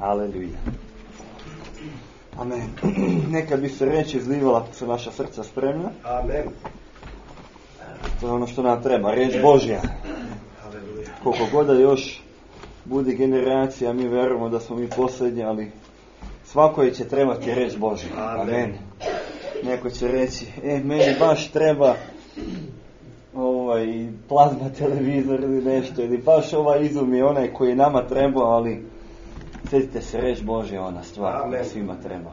Aleluja. Amen. Neka bi se riječ izlivala, su naša srca spremna. Amen. To je ono što nam treba, riječ Božja. Aleluja. Koliko god da još bude generacija, mi vjerujemo da smo mi posljednji, ali svakoj će trebati riječ Božja. Amen. Neko će reći, meni baš treba plazma televizor ili nešto, ili baš izum je onaj koji je nama trebao, ali sjetite se, riječ Božja ona stvar koja svima treba.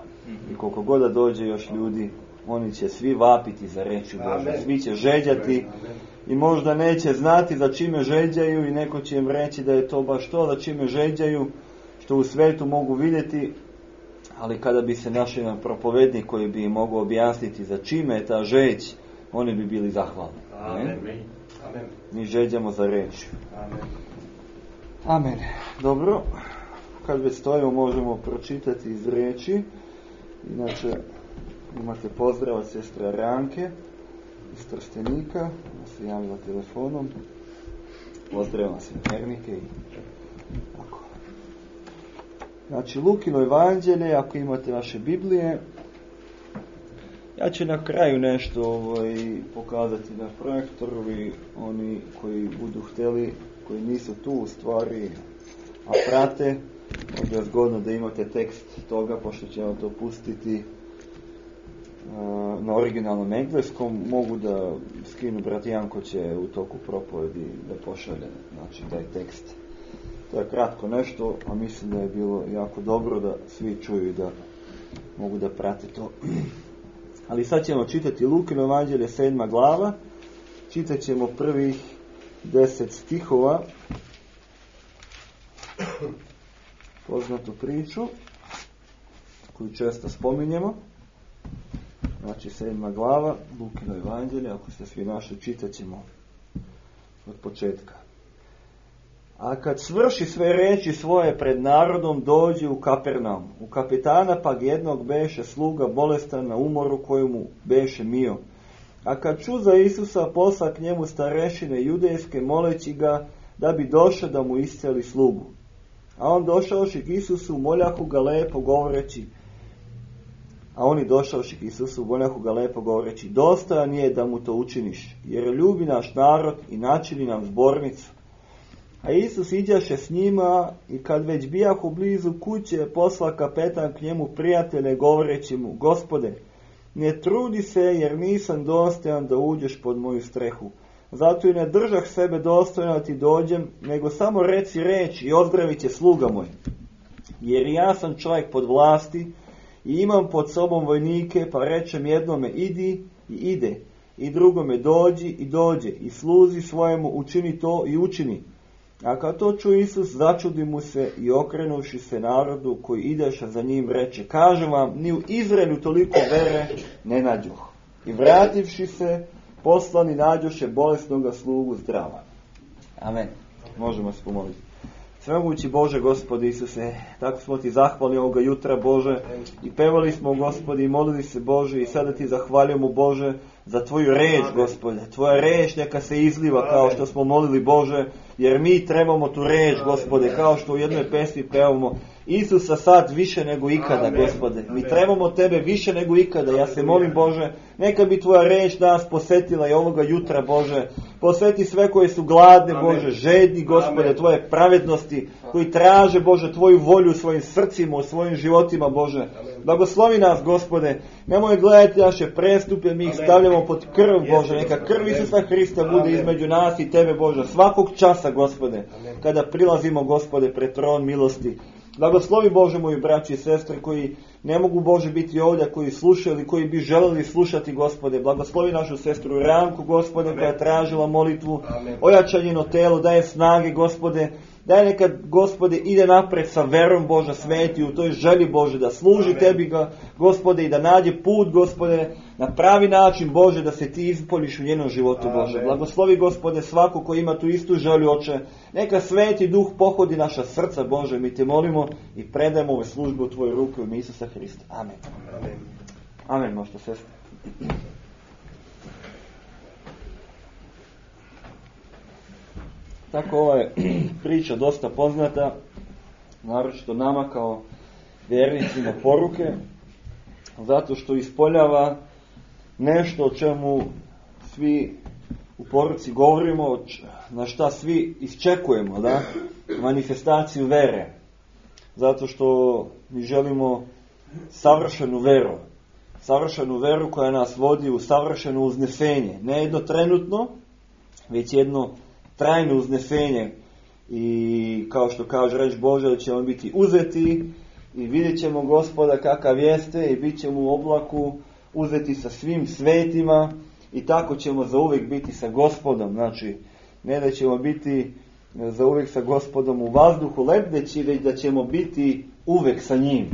I koliko god da dođe još ljudi, oni će svi vapiti za riječ Božju, svi će žeđati i možda neće znati za čime žeđaju i neko će im reći da je to baš to za čime žeđaju, što u svetu mogu vidjeti, ali kada bi se našli na propovednik koji bi im mogao objasniti za čime je ta žeđ, oni bi bili zahvalni. Amen. Mi žeđamo za riječ. Amen. Dobro. Kad već stojimo, možemo pročitati iz riječi. Inače, imate pozdrav od sestre Ranke iz Trstenika, ona se javila telefonom. Pozdrav vas vjernike i tako. Znači, Lukino evanđelje, ako imate vaše Biblije. Ja ću na kraju nešto pokazati na projektoru i oni koji budu htjeli, koji nisu tu u stvari, a prate, možda je zgodno da imate tekst toga, pošto ćemo to pustiti na originalnom engleskom. Mogu da skinu, brat Janko će u toku propovedi da pošalje, znači taj tekst. To je kratko nešto, a mislim da je bilo jako dobro da svi čuju i da mogu da prate to. Ali sad ćemo čitati Lukino evanđelje 7. glava, čitat ćemo prvih 10 stihova, poznatu priču koju često spominjemo. Znači 7. glava Lukino evanđelje, ako ste svi našli, čitat ćemo od početka. A kad svrši sve reči svoje pred narodom, dođe u Kapernaum. U kapetana pak jednog beše sluga bolestan na umoru koju mu beše mio. A kad ču za Isusa, posla k njemu starešine judejske, moleći ga da bi došao da mu isceli slugu. A on došavši k Isusu, moljahu ga lepo govoreći, dostojan je da mu to učiniš, jer ljubi naš narod i načini nam zbornicu. A Isus iđaše s njima i kad već bijahu blizu kuće, posla kapetan k njemu prijatelje govoreći mu, Gospode, ne trudi se jer nisam dostojan da uđeš pod moju strehu. Zato i ne držah sebe dostojno da ti dođem, nego samo reci reč i ozdravit će sluga moj. Jer ja sam čovjek pod vlasti i imam pod sobom vojnike, pa rečem jednome idi i ide, i drugome dođi i dođe, i sluzi svojemu učini to i učini. A kad to ču Isus, začudi mu se i okrenuši se narodu koji ideša za njim, reče, kažem vam, ni u Izraelu toliko vere ne nađoh. I vrativši se, poslani nađoše bolesnoga slugu zdrava. Amen. Možemo se pomoliti. Svemogući Bože, Gospodi Isuse, tako smo ti zahvali ovoga jutra, Bože, i pevali smo, Gospodi, i molili se, Bože, i sada ti zahvaljujemo, Bože, za tvoju reč, Gospode. Tvoja reč neka se izliva kao što smo molili, Bože, jer mi trebamo tu reč, Gospode, kao što u jednoj pesmi pevamo Isusa sad više nego ikada, Gospode. Mi trebamo tebe više nego ikada. Ja se molim, Bože, neka bi tvoja reč nas posjetila i ovoga jutra, Bože. Posveti sve koji su gladne, Bože, žedni, Gospode, tvoje pravednosti, koji traže, Bože, tvoju volju u svojim srcima, u svojim životima, Bože. Blagoslovi nas, Gospode. Nemoj gledati naše prestupe, mi ih stavljamo pod krv, Bože. Neka krv Isusa Hrista bude između nas i tebe, Bože, svakog časa, Gospode, kada prilazimo, Gospode, pred tron milosti. Blagoslovi, Bože, moji braći i sestre koji ne mogu, Bože, biti ovdje, koji slušaju ili koji bi želeli slušati, Gospode. Blagoslovi našu sestru Ranku, Gospode, koja je tražila molitvu. Ojačaj njeno telo, daje snage, Gospode. Daj neka, Gospode, ide napred sa verom, Bože, sveti u toj želji, Bože, da služi tebi, Gospode, i da nađe put, Gospode, na pravi način, Bože, da se ti ispoliš u njenom životu, Bože. Blagoslovi, Gospode, svako ko ima tu istu želju, Oče. Neka sveti duh pohodi naša srca, Bože, mi te molimo i predajemo ove službe u tvoje ruke u ime Isusa Hrista. Amen. Amen, možete sestre. Tako ova je priča dosta poznata. naročito nama kao vjernicima poruke, zato što ispoljava nešto o čemu svi u poruci govorimo, na šta svi iščekujemo, da? Manifestaciju vere. Zato što mi želimo savršenu veru koja nas vodi u savršeno uznesenje. Ne jedno trenutno, već jedno trajno uznesenje. I kao što kaže reč Božja, da ćemo biti uzeti i vidjet ćemo Gospoda kakav jeste i bit ćemo u oblaku uzeti sa svim svetima i tako ćemo zauvijek biti sa Gospodom. Znači, ne da ćemo biti zauvijek sa Gospodom u vazduhu lebdeći, već da ćemo biti uvijek sa njim.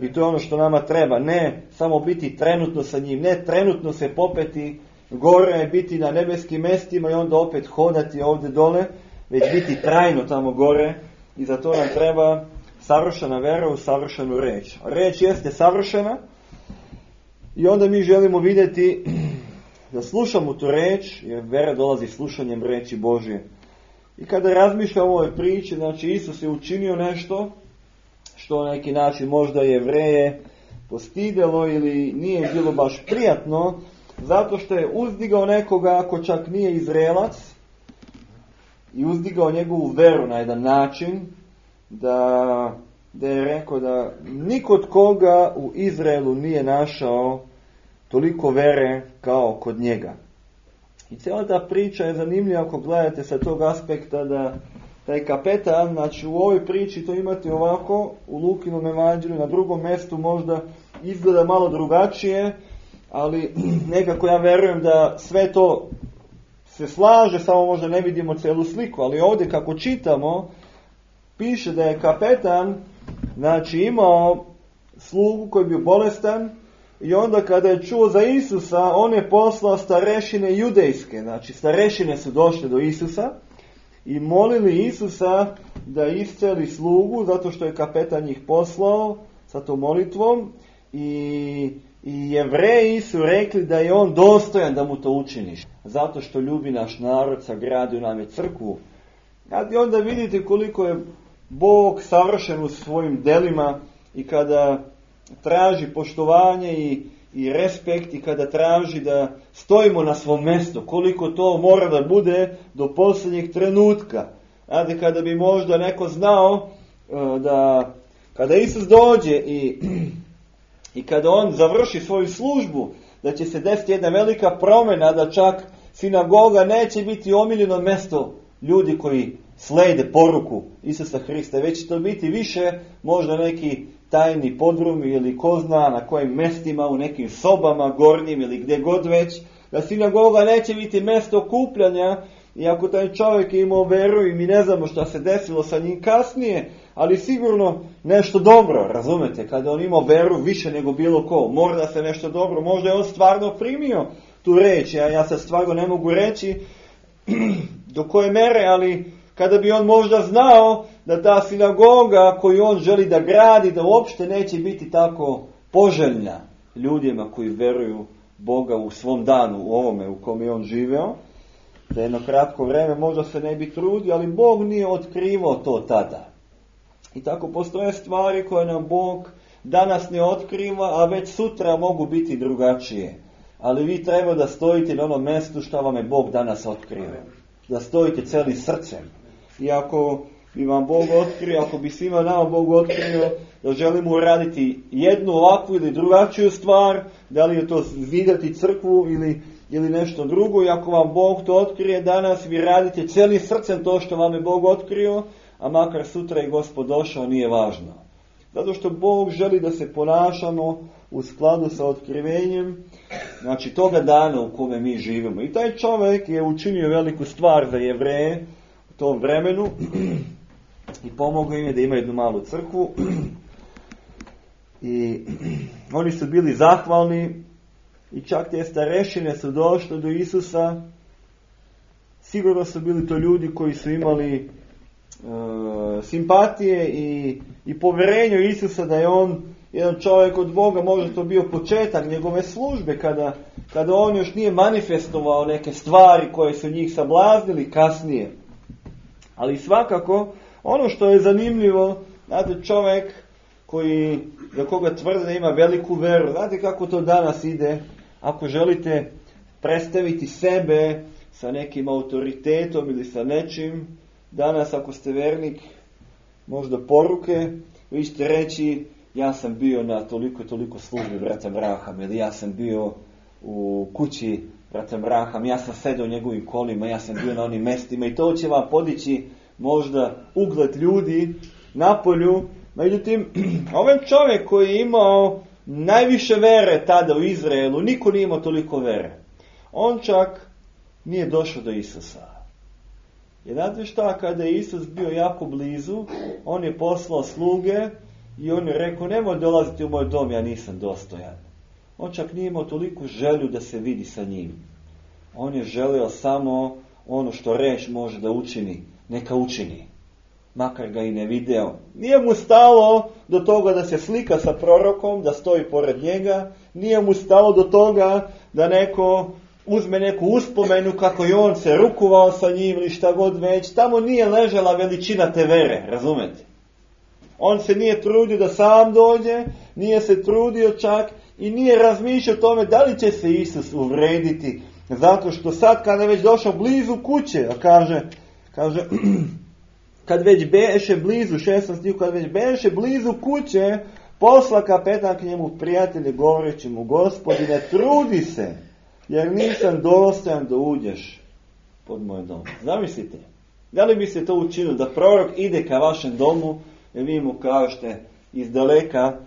I to je ono što nama treba. Ne samo biti trenutno sa njim, ne trenutno se popeti gore i biti na nebeskim mestima i onda opet hodati ovdje dole, već biti trajno tamo gore. I za to nam treba savršena vera u savršenu reč. Reč jeste savršena i onda mi želimo vidjeti da slušamo tu reč, jer vera dolazi slušanjem reči Božje. I kada razmišljamo o ovoj priči, znači Isus je učinio nešto što na neki način možda Jevreje postidjelo ili nije bilo baš prijatno, zato što je uzdigao nekoga ako čak nije Izraelac i uzdigao njegovu veru na jedan način da je rekao da nikod koga u Izraelu nije našao toliko vere kao kod njega. I cijela ta priča je zanimljiva ako gledate sa tog aspekta da taj kapetan, znači u ovoj priči to imate ovako, u Lukinom evanđelju, na drugom mjestu možda izgleda malo drugačije, ali nekako ja verujem da sve to se slaže, samo možda ne vidimo celu sliku, ali ovdje kako čitamo, piše da je kapetan, znači imao slugu koji je bio bolestan i onda kada je čuo za Isusa, on je poslao starešine judejske, znači starešine su došle do Isusa i molili Isusa da isceli slugu, zato što je kapetan njih poslao sa tom molitvom i Jevreji su rekli da je on dostojan da mu to učiniš, zato što ljubi naš narod, sagradio nam je crkvu. I onda vidite koliko je Bog savršen u svojim delima i kada traži poštovanje i respekt i kada traži da stojimo na svom mjestu, koliko to mora da bude do posljednjeg trenutka. Znate, kada bi možda neko znao da kada Isus dođe i kada on završi svoju službu, da će se desiti jedna velika promjena, da čak sinagoga neće biti omiljeno mjesto ljudi koji slijede poruku Isusa Hrista, već će to biti više možda neki tajni podrumi ili ko zna na kojim mjestima, u nekim sobama gornjim ili gdje god već, da sinagoga neće biti mjesto okupljanja. I ako taj čovjek je imao veru i mi ne znamo šta se desilo sa njim kasnije, ali sigurno nešto dobro, razumete, kada on imao veru više nego bilo ko, možda se nešto dobro, možda je on stvarno primio tu reč, ja sad stvarno ne mogu reći do koje mere, ali kada bi on možda znao da ta sinagoga koju on želi da gradi, da uopšte neće biti tako poželjna ljudima koji veruju Boga u svom danu, u ovome u kom je on živeo, za jedno kratko vreme možda se ne bi trudio, ali Bog nije otkrivao to tada. I tako postoje stvari koje nam Bog danas ne otkriva, a već sutra mogu biti drugačije. Ali vi treba da stojite na onom mjestu što vam je Bog danas otkrio. Da stojite celim srcem. I ako bi vam Bog otkrio, ako bi svima nama Bog otkrio da želimo uraditi jednu ovakvu ili drugačiju stvar, da li je to zidati crkvu ili nešto drugo, i ako vam Bog to otkrije danas, vi radite celim srcem to što vam je Bog otkrio, a makar sutra i Gospod došao, nije važno. Zato što Bog želi da se ponašamo u skladu sa otkrivenjem, znači toga dana u kome mi živimo. I taj čovjek je učinio veliku stvar za Jevreje u tom vremenu i pomogao im je da ima jednu malu crkvu. I oni su bili zahvalni i čak te starešine su došle do Isusa. Sigurno su bili to ljudi koji su imali simpatije i povjerenje u Isusa da je on jedan čovjek od Boga. Možda to bio početak njegove službe kada on još nije manifestovao neke stvari koje su njih sablaznili kasnije. Ali svakako ono što je zanimljivo Znate, čovjek za koga tvrde da ima veliku veru, znate kako to danas ide, ako želite predstaviti sebe sa nekim autoritetom ili sa nečim, danas ako ste vernik, možda poruke, vi ćete reći, ja sam bio na toliko službi brata Braham, ili ja sam bio u kući brata Braham, ja sam sedao u njegovim kolima, ja sam bio na onim mestima i to će vam podići možda ugled ljudi napolju. Međutim, ovaj čovjek koji je imao najviše vere tada u Izraelu, niko nije imao toliko vere. On čak nije došao do Isusa. Jer znate šta, kada je Isus bio jako blizu, on je poslao sluge i on je rekao, nemoj dolaziti u moj dom, ja nisam dostojan. On čak nije imao toliko želju da se vidi sa njim. On je želeo samo ono što reč može da učini, neka učini. Makar ga i ne video. Nije mu stalo do toga da se slika sa prorokom, da stoji pored njega. Nije mu stalo do toga da neko uzme neku uspomenu kako je on se rukovao sa njim ili šta god već. Tamo nije ležala veličina te vere, razumete? On se nije trudio da sam dođe, nije se trudio čak i nije razmišljao o tome da li će se Isus uvrediti. Zato što sad kada je već došao blizu kuće, a kaže kad već beše blizu, 16 stih, kad već beše blizu kuće, posla kapetan k njemu prijatelje govoreći mu, Gospodine, trudi se, jer nisam dostojan da uđeš pod moj dom. Zamislite, da li bi se to učinilo, da prorok ide ka vašem domu, i vi mu kažete iz daleka,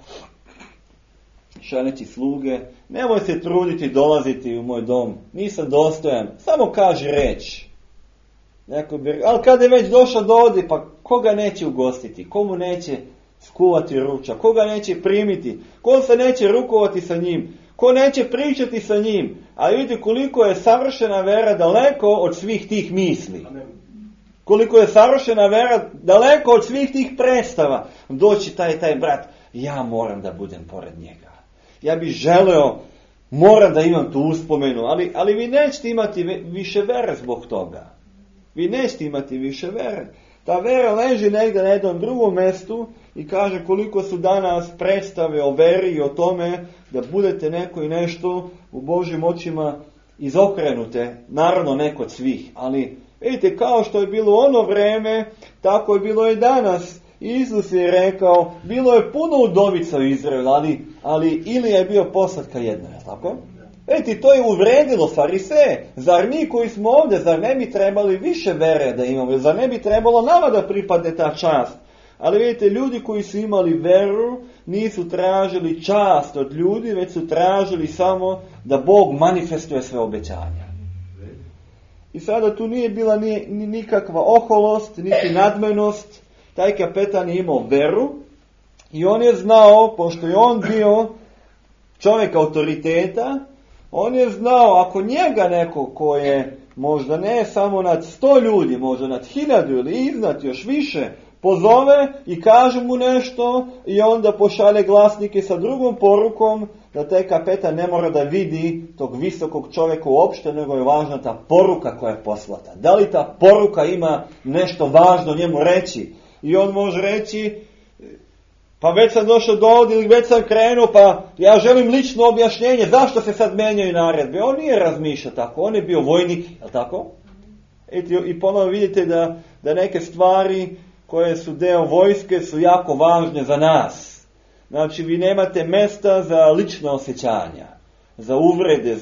šaljeći sluge, nemoj se truditi dolaziti u moj dom, nisam dostojan, samo kaži reč. Ali kada je već došao do ovdje, pa koga neće ugostiti, komu neće skuvati ručak, koga neće primiti, ko se neće rukovati sa njim, ko neće pričati sa njim. A vidite koliko je savršena vera daleko od svih tih misli. Koliko je savršena vera daleko od svih tih predstava. Doći taj brat, ja moram da budem pored njega. Ja bih želeo, moram da imam tu uspomenu, ali vi nećete imati više vere zbog toga. Vi nećete imati više vere. Ta vera leži negdje na jednom drugom mjestu i kaže koliko su danas predstave o veri i o tome da budete neko i nešto u Božjim očima izokrenute. Naravno ne kod svih, ali vidite, kao što je bilo ono vreme, tako je bilo i danas. Isus je rekao, bilo je puno udovica u Izraelu, ali Ilija je bio poslatka jedna, je tako? Vidite, to je uvredilo fariseje. Zar mi koji smo ovdje, zar ne bi trebali više vere da imamo? Zar ne bi trebalo nama da pripadne ta čast? Ali vidite, ljudi koji su imali veru nisu tražili čast od ljudi, već su tražili samo da Bog manifestuje sve obećanja. I sada tu nije bila nikakva oholost, niti nadmenost. Taj kapetan je imao veru i on je znao, pošto je on bio čovjek autoriteta, on je znao ako njega neko ko je možda ne samo nad 100 ljudi, možda nad 1000 ili iznad još više, pozove i kaže mu nešto i onda pošalje glasnike sa drugom porukom, da taj kapetan ne mora da vidi tog visokog čovjeka uopšte, nego je važna ta poruka koja je poslata. Da li ta poruka ima nešto važno njemu reći? I on može reći, pa već sam došao do ovdje ili već sam krenuo, pa ja želim lično objašnjenje zašto se sad menjaju naredbe. On nije razmišljao tako, on je bio vojnik, je li tako? I ponovno vidite da neke stvari koje su deo vojske su jako važne za nas. Znači vi nemate mjesta za lična osjećanja, za uvrede,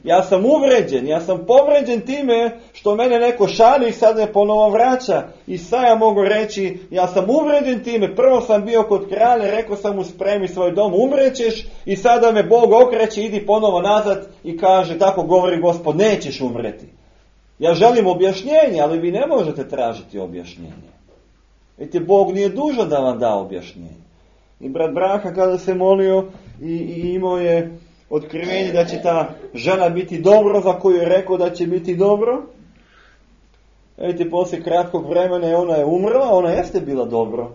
ja sam uvređen, ja sam povređen time što mene neko šalje i sad me ponovo vraća. I sad ja mogu reći, ja sam uvređen time, prvo sam bio kod kralja, rekao sam mu spremi svoj dom, umrećeš i sada me Bog okreće, idi ponovo nazad i kaže, tako govori Gospod, nećeš umreti. Ja želim objašnjenje, ali vi ne možete tražiti objašnjenje. Vidite, Bog nije dužan da vam da objašnjenje. I brat Braha kada se molio i imao je otkrivenje da će ta žena biti dobro, za koju je rekao da će biti dobro. Vidite, poslije kratkog vremena ona je umrla, ona jeste bila dobro.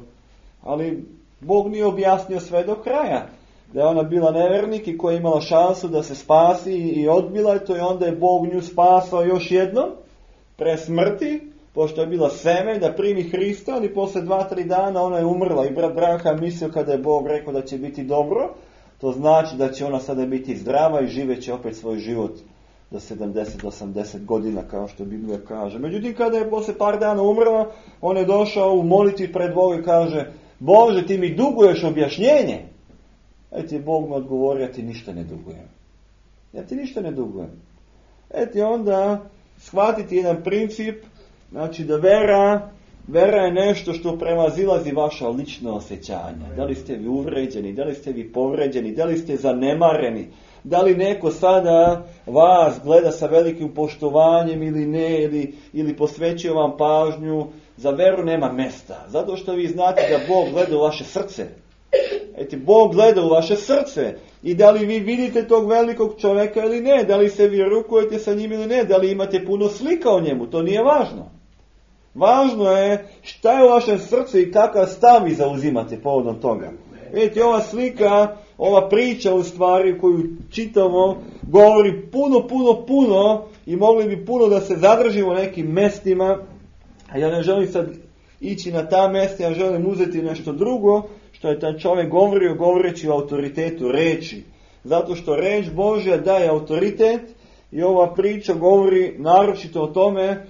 Ali Bog nije objasnio sve do kraja. Da je ona bila nevernik i koja je imala šansu da se spasi i odbila je to i onda je Bog nju spasao još jednom pre smrti. pošto je bila seme da primi Hrista, ali posle 2-3 dana ona je umrla i brat Branham mislio kada je Bog rekao da će biti dobro, to znači da će ona sada biti zdrava i živeće opet svoj život do 70-80 godina, kao što Biblija kaže. Međutim, kada je posle par dana umrla, on je došao u molitvi pred Boga i kaže: Bože, ti mi duguješ objašnjenje. Eti, Bog mu odgovori: ja ti ništa ne dugujem. Ja ti ništa ne dugujem. Eti, onda shvatiti jedan princip, znači da vera je nešto što premazilazi vaša lična osjećanja. Da li ste vi uvređeni, da li ste vi povređeni, da li ste zanemareni, da li neko sada vas gleda sa velikim poštovanjem ili ne, ili posvećuje vam pažnju. Za veru nema mesta, zato što vi znate da Bog gleda u vaše srce. Eti, Bog gleda u vaše srce i da li vi vidite tog velikog čovjeka ili ne, da li se vi rukujete sa njim ili ne, da li imate puno slika o njemu, to nije važno. Važno je šta je u vašem srcu i kakav stav vi zauzimate povodom toga. Vidite, ova slika, ova priča u stvari koju čitamo, govori puno i mogli bi puno da se zadržimo u nekim mestima, a ja ne želim sad ići na ta mesta, ja želim uzeti nešto drugo, što je taj čovjek govoreći o autoritetu reči. Zato što reč Božja daje autoritet i ova priča govori naročito o tome,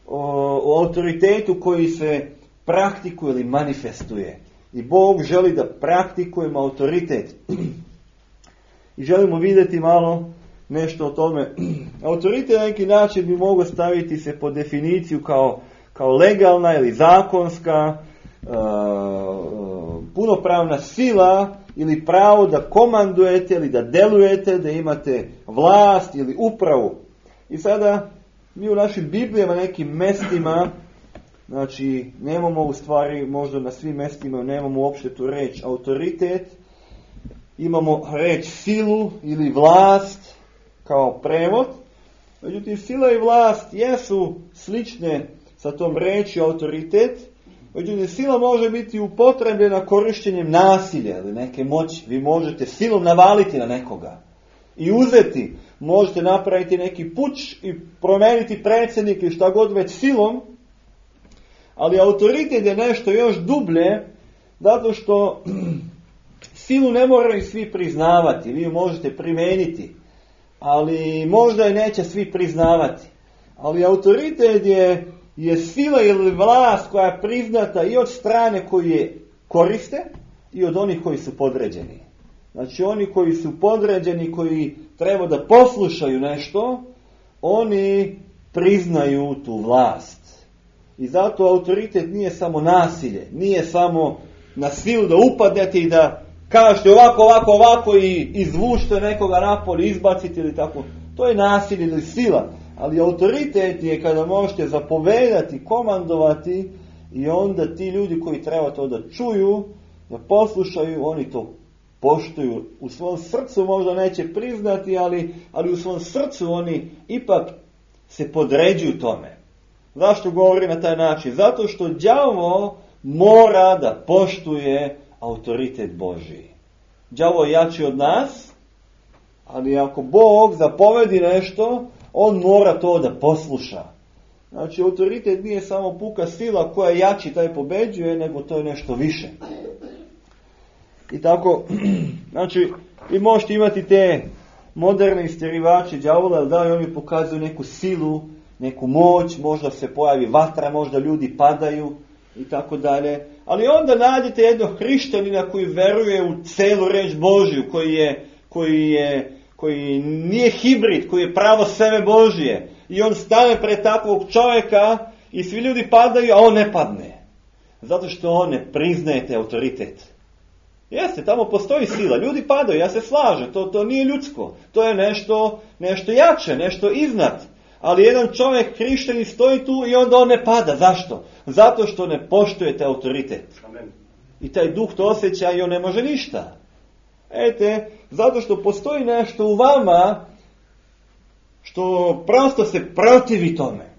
o autoritetu koji se praktikuje ili manifestuje. I Bog želi da praktikujemo autoritet. I želimo vidjeti malo nešto o tome. Autoritet na neki način bi mogao staviti se pod definiciju kao legalna ili zakonska, punopravna sila ili pravo da komandujete ili da delujete, da imate vlast ili upravu. I sada mi u našim Biblijama, nekim mestima, znači nemamo u stvari, možda na svim mestima nemamo uopšte tu reč autoritet, imamo reč silu ili vlast kao prevod. Međutim, sila i vlast jesu slične sa tom reči autoritet. Međutim, sila može biti upotrebljena korištenjem nasilja ili neke moći. Vi možete silom navaliti na nekoga i uzeti. Možete napraviti neki puč i promeniti predsjednika i šta god već silom. Ali autoritet je nešto još dublje, zato što silu ne moraju svi priznavati. Vi ju možete primeniti, ali možda je neće svi priznavati. Ali autoritet je sila ili vlast koja je priznata i od strane koji je koriste i od onih koji su podređeni. Znači oni koji su podređeni, koji treba da poslušaju nešto, oni priznaju tu vlast. I zato autoritet nije samo nasilje, nije samo na silu da upadnete i da kažete ovako i izvučite nekoga napolje, izbacite ili tako. To je nasilje ili sila. Ali autoritet je kada možete zapovedati, komandovati i onda ti ljudi koji treba to da čuju, da poslušaju, oni to poštuju. U svom srcu možda neće priznati, ali u svom srcu oni ipak se podređuju tome. Zašto govori na taj način? Zato što đavo mora da poštuje autoritet Božji. Đavo je jači od nas, ali ako Bog zapovedi nešto, on mora to da posluša. Znači, autoritet nije samo puka sila koja je jači, taj pobeđuje, nego to je nešto više. I tako, znači, vi možete imati te moderne istjerivače đavola, da li oni pokazuju neku silu, neku moć, možda se pojavi vatra, možda ljudi padaju i tako dalje. Ali onda nađete jednog hrišćanina koji veruje u celu reč Božju, koji nije hibrid, koji je pravo sebe Božje. I on stane pred takvog čovjeka i svi ljudi padaju, a on ne padne. Zato što on ne priznaje te autoritet. Jeste, tamo postoji sila, ljudi padaju, ja se slažem, to nije ljudsko. To je nešto jače, nešto iznad. Ali jedan čovjek hrišćanin stoji tu i onda on ne pada. Zašto? Zato što ne poštujete autoritet. Amen. I taj duh to osjeća i on ne može ništa. Zato što postoji nešto u vama što prosto se protivi tome.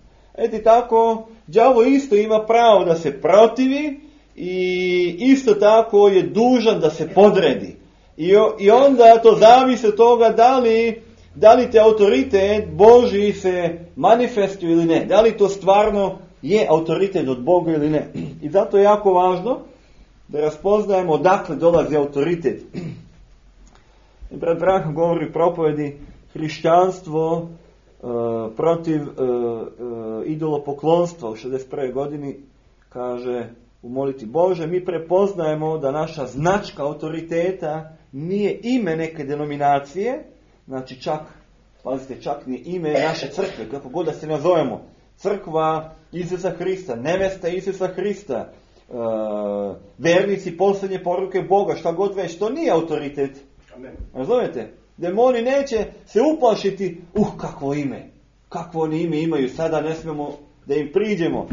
Tako, đavo isto ima pravo da se protivi i isto tako je dužan da se podredi. I onda to zavisi od toga da li te autoritet Božji se manifestuje ili ne. Da li to stvarno je autoritet od Boga ili ne. I zato je jako važno da raspoznajemo odakle dolazi autoritet. Brat Branham govori u propovedi hrišćanstvo protiv idolopoklonstva u 61. godini, kaže u molitvi: Bože, mi prepoznajemo da naša značka autoriteta nije ime neke denominacije, znači čak, pazite, čak ni ime naše crkve, kako god da se nazovemo, crkva Isusa Hrista, nevesta Isusa Hrista, vernici posljednje poruke Boga, šta god već, to nije autoritet. Razumijete? Demoni neće se uplašiti, kakvo oni ime imaju, sada ne smemo da im priđemo.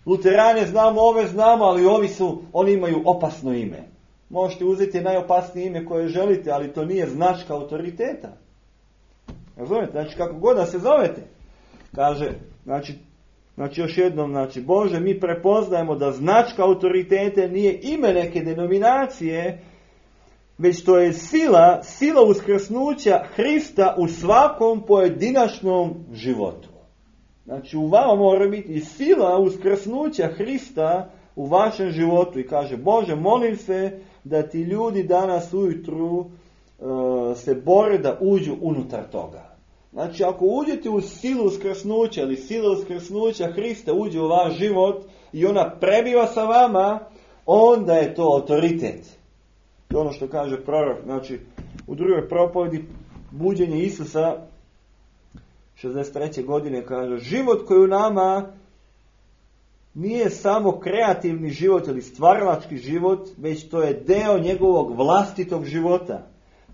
Luterane znamo, ove znamo, ali oni imaju opasno ime. Možete uzeti najopasnije ime koje želite, ali to nije značka autoriteta. Razumijete? Znači, kako god da se zovete. Kaže, znači još jednom, Bože, mi prepoznajemo da značka autoritete nije ime neke denominacije, već to je sila uskrsnuća Hrista u svakom pojedinačnom životu. Znači, u vama mora biti sila uskrsnuća Hrista u vašem životu. I kaže: Bože, molim se da ti ljudi danas ujutru se bore da uđu unutar toga. Znači, ako uđete u silu uskrsnuća ili sila uskrsnuća Hrista uđe u vaš život i ona prebiva sa vama, onda je to autoritet. I ono što kaže prorok, znači u drugoj propovedi buđenje Isusa 63. godine, kaže: život koji u nama nije samo kreativni život ili stvaralački život, već to je deo njegovog vlastitog života.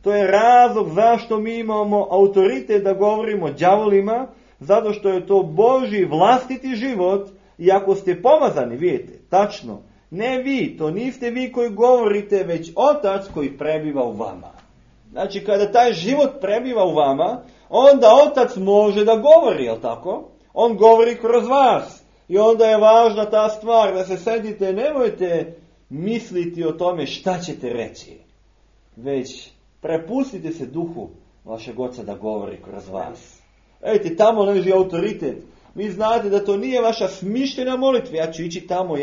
To je razlog zašto mi imamo autoritet da govorimo đavolima, zato što je to Božji vlastiti život. I ako ste pomazani, vidite, tačno, ne vi, to niste vi koji govorite, već Otac koji prebiva u vama. Znači, kada taj život prebiva u vama, onda Otac može da govori, jel tako? On govori kroz vas. I onda je važna ta stvar, da se sedite, nemojte misliti o tome šta ćete reći, već prepustite se duhu vašeg Oca da govori kroz vas. Vidite, tamo leži autoritet. Vi znate da to nije vaša smišljena molitva. Ja ću ići tamo,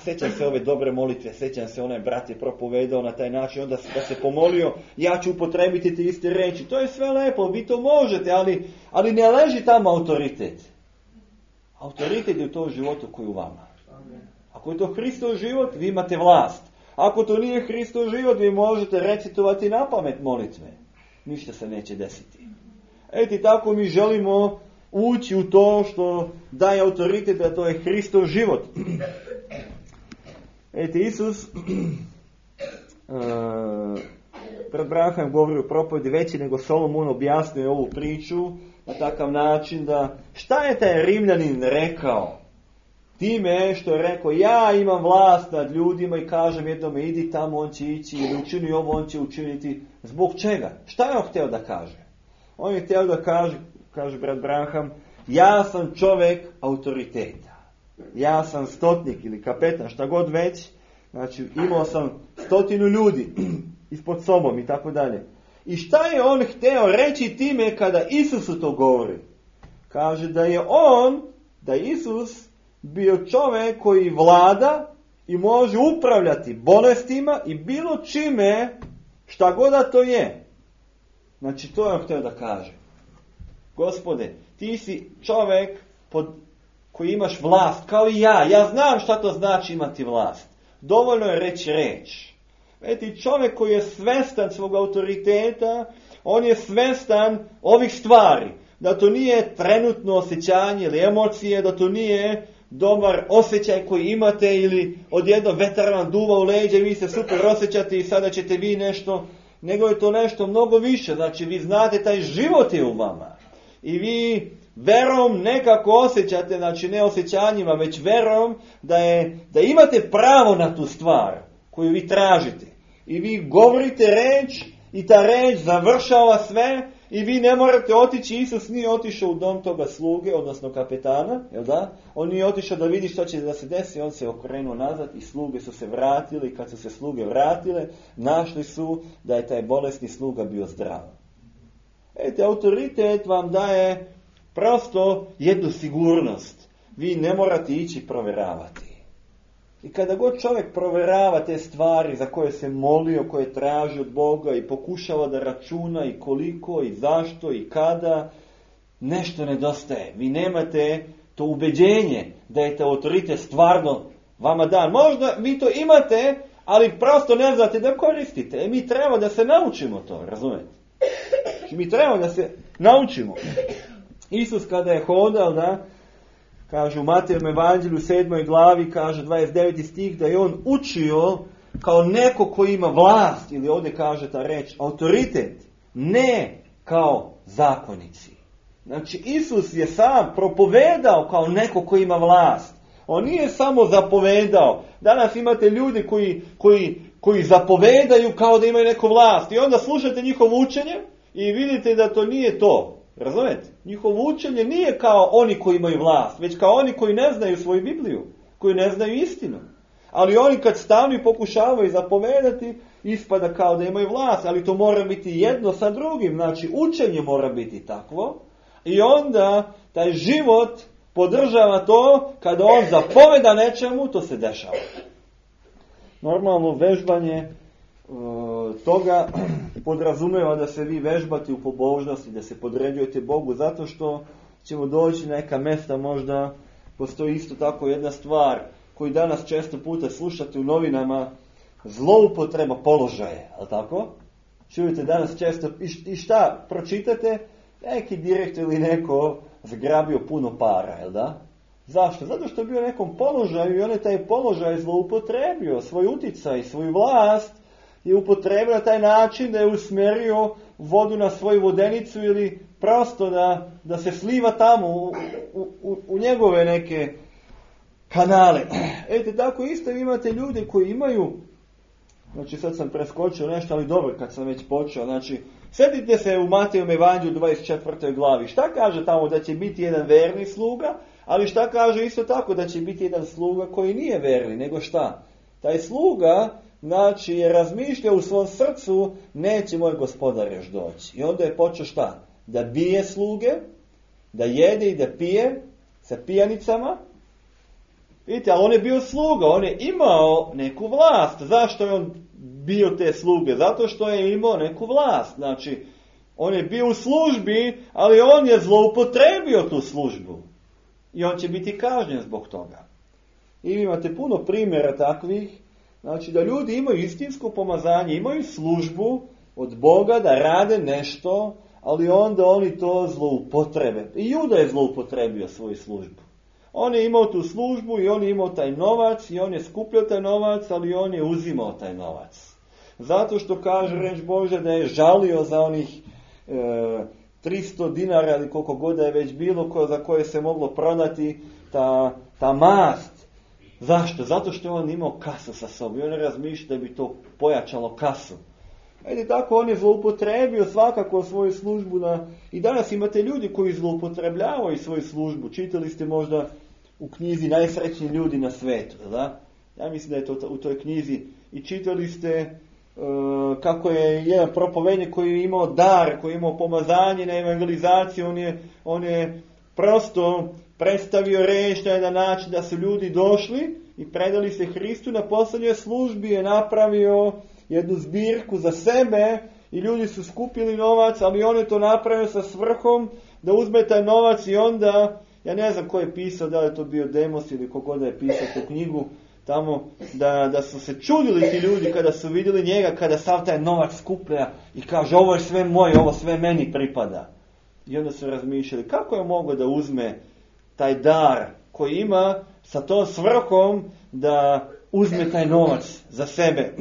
sjećam se ove dobre molitve, sjećam se onaj brat je propovedao na taj način, onda da se pomolio, ja ću upotrebiti te iste reči. To je sve lepo, vi to možete, ali ne leži tamo autoritet. Autoritet je u tom životu koji je u vama. Ako je to Hristov život, vi imate vlast. Ako to nije Hristov život, vi možete recitovati na pamet molitve. Ništa se neće desiti. Tako mi želimo ući u to što daje autoritet, da to je Hristov život. Isus pred Branham govori u propovedi veći nego Solomon, objasnio ovu priču na takav način da šta je taj Rimljanin rekao? Time što je rekao: ja imam vlast nad ljudima i kažem jednome idi tamo, on će ići, ili učini ovo, on će učiniti. Zbog čega? Šta je on htio da kaže? On je htio da kaže brat Branham, ja sam čovjek autoriteta. Ja sam stotnik ili kapetan, šta god već. Znači, imao sam 100 ljudi ispod sobom i tako dalje. I šta je on htio reći time kada Isusu to govori? Kaže da Isus bio čovjek koji vlada i može upravljati bolestima i bilo čime, šta god da to je. Znači, to je on htio da kaže. Gospode, ti si čovjek koji imaš vlast, kao i ja. Ja znam šta to znači imati vlast. Dovoljno je reći reč. Vidite, čovjek koji je svestan svog autoriteta, on je svestan ovih stvari. Da to nije trenutno osjećanje ili emocije, da to nije dobar osjećaj koji imate ili odjedno vetar vam duva u leđa i vi se super osjećate i sada ćete vi nešto, nego je to nešto mnogo više. Znači, vi znate, taj život je u vama. I vi verom nekako osjećate, znači ne osjećanjima, već verom da imate pravo na tu stvar koju vi tražite. I vi govorite reč i ta reč završava sve i vi ne morate otići. Isus nije otišao u dom toga sluge, odnosno kapetana, jel da? On nije otišao da vidi što će da se desi, on se okrenuo nazad i sluge su se vratile i kad su se sluge vratile, našli su da je taj bolesni sluga bio zdrav. Autoritet vam daje prosto jednu sigurnost. vi ne morate ići provjeravati. I kada god čovjek provjerava te stvari za koje se molio, koje traži od Boga i pokušava da računa i koliko i zašto i kada, nešto nedostaje. Vi nemate to ubeđenje da je to autoritet stvarno vama dan. Možda vi to imate, ali prosto ne znate da koristite. Mi treba da se naučimo to, razumete? Mi treba da se naučimo. Isus kada je hodao, da, kaže u Matejevom evanđelju 7. glavi, kaže 29. stih, da je on učio kao neko koji ima vlast, ili ovdje kaže ta reč, autoritet, ne kao zakonici. Znači, Isus je sam propovedao kao neko koji ima vlast. On nije samo zapovedao. Danas imate ljudi koji zapovedaju kao da imaju neku vlast. I onda slušate njihovo učenje i vidite da to nije to. Razumete? Njihovo učenje nije kao oni koji imaju vlast, već kao oni koji ne znaju svoju Bibliju, koji ne znaju istinu. Ali oni kad stavno i pokušavaju zapovedati, ispada kao da imaju vlast, ali to mora biti jedno sa drugim. Znači, učenje mora biti takvo. I onda taj život podržava to, kada on zapoveda nečemu, to se dešava. Normalno vežbanje toga podrazumeva da se vi vežbate u pobožnosti, da se podređujete Bogu, zato što ćemo doći na neka mjesta, možda postoji isto tako jedna stvar koju danas često puta slušate u novinama, zloupotreba položaja, ali tako? Čujete danas često, i šta pročitate? Neki direktor ili neko zgrabio puno para, jel da? Zašto? Zato što je bio u nekom položaju i on je taj položaj zloupotrebio, svoj uticaj, svoju vlast je upotrebio na taj način da je usmjerio vodu na svoju vodenicu ili prosto da se sliva tamo u njegove neke kanale. Eto, tako isto imate ljude koji imaju, znači sad sam preskočio nešto, ali dobro kad sam već počeo, znači sjetite se u Matejevom evanđelju 24. glavi. Šta kaže tamo da će biti jedan verni sluga, ali šta kaže isto tako da će biti jedan sluga koji nije verni, nego šta? Taj sluga, znači, je razmišljao u svom srcu, neće moj gospodar još doći. I onda je počeo šta? Da bije sluge, da jede i da pije sa pijanicama. Vidite, ali on je bio sluga, on je imao neku vlast. Zašto je on bio te sluge? Zato što je imao neku vlast. Znači, on je bio u službi, ali on je zloupotrebio tu službu. I on će biti kažnjen zbog toga. I imate puno primjera takvih. Znači, da ljudi imaju istinsko pomazanje, imaju službu od Boga da rade nešto, ali onda oni to zloupotrebe. I Juda je zloupotrebio svoju službu. On je imao tu službu i on je imao taj novac i on je skupljao taj novac, ali on je uzimao taj novac. Zato što kaže reč Božja da je žalio za onih 300 dinara ili koliko god da je već bilo za koje se moglo prodati ta mast. Zašto? Zato što je on imao kasu sa sobom i on je razmišljao da bi to pojačalo kasu. Ajde, tako on je zloupotrebio svakako svoju službu. I danas imate ljudi koji zloupotrebljavaju svoju službu. Čitali ste možda u knjizi Najsrećniji ljudi na svijetu, da? Ja mislim da je to u toj knjizi. I čitali ste kako je jedan propovednik koji je imao dar, koji je imao pomazanje na evangelizaciju, on je prosto predstavio reč na jedan način da su ljudi došli i predali se Hristu. Na posljednjoj službi je napravio jednu zbirku za sebe i ljudi su skupili novac, ali on je to napravio sa svrhom da uzme taj novac i onda, ja ne znam ko je pisao, da li je to bio Demos ili kogod da je pisao tu knjigu, tamo da su se čudili ti ljudi kada su vidjeli njega, kada sav taj novac skuplja i kaže ovo je sve moje, ovo sve meni pripada. I onda su razmišljali kako je mogao da uzme taj dar koji ima sa tom svrhom da uzme taj novac za sebe.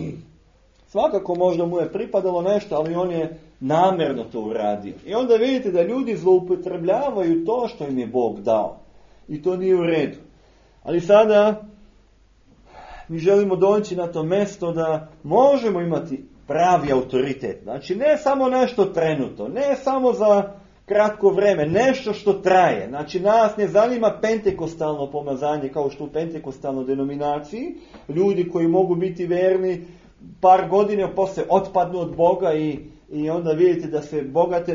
Svakako možda mu je pripadalo nešto, ali on je namjerno to uradio. I onda vidite da ljudi zloupotrebljavaju to što im je Bog dao. I to nije u redu. Ali sada mi želimo doći na to mjesto da možemo imati pravi autoritet. Znači ne samo nešto trenutno, ne samo za kratko vreme, nešto što traje. Znači nas ne zanima pentekostalno pomazanje kao što u pentekostalnoj denominaciji. Ljudi koji mogu biti verni par godina poslije otpadnu od Boga i onda vidite da se bogate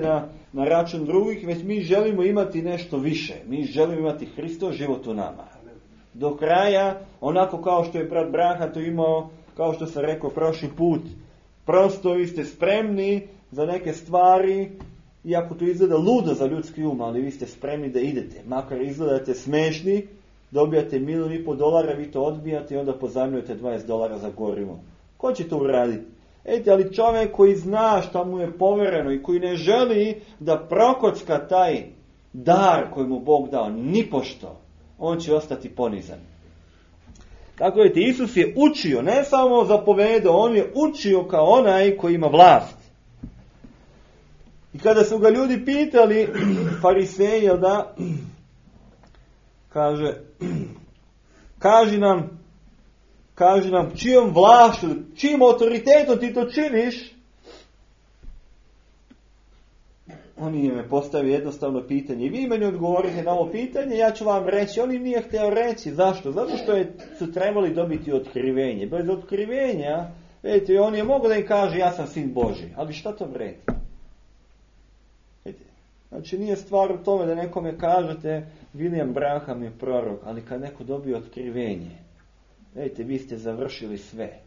na račun drugih, već mi želimo imati nešto više. Mi želimo imati Hristov život u nama. Do kraja, onako kao što je brat Braha to imao, kao što sam rekao prošli put, prosto vi ste spremni za neke stvari, iako to izgleda ludo za ljudski um, ali vi ste spremni da idete. Makar izgledate smešni, dobijate $1,5, vi to odbijate i onda pozajmljujete $20 za gorivo. Ko će to uraditi? Ali čovjek koji zna šta mu je povereno i koji ne želi da prokocka taj dar koji mu Bog dao, nipošto, on će ostati ponizan. Tako vidite, Isus je učio, ne samo zapovedao, on je učio kao onaj koji ima vlast. I kada su ga ljudi pitali, fariseji, da, kaži nam čijom vlašću, čijim autoritetom ti to činiš, on im je postavio jednostavno pitanje. I vi meni odgovorite na ovo pitanje, ja ću vam reći. On im nije htio reći. Zašto? Zato što su trebali dobiti otkrivenje. Bez otkrivenja, vidite, on je mogao da im kaže ja sam sin Božji. Ali šta to vredi? Znači nije stvar u tome da nekome kažete William Branham je prorok, ali kad neko dobije otkrivenje, vidite, vi ste završili sve.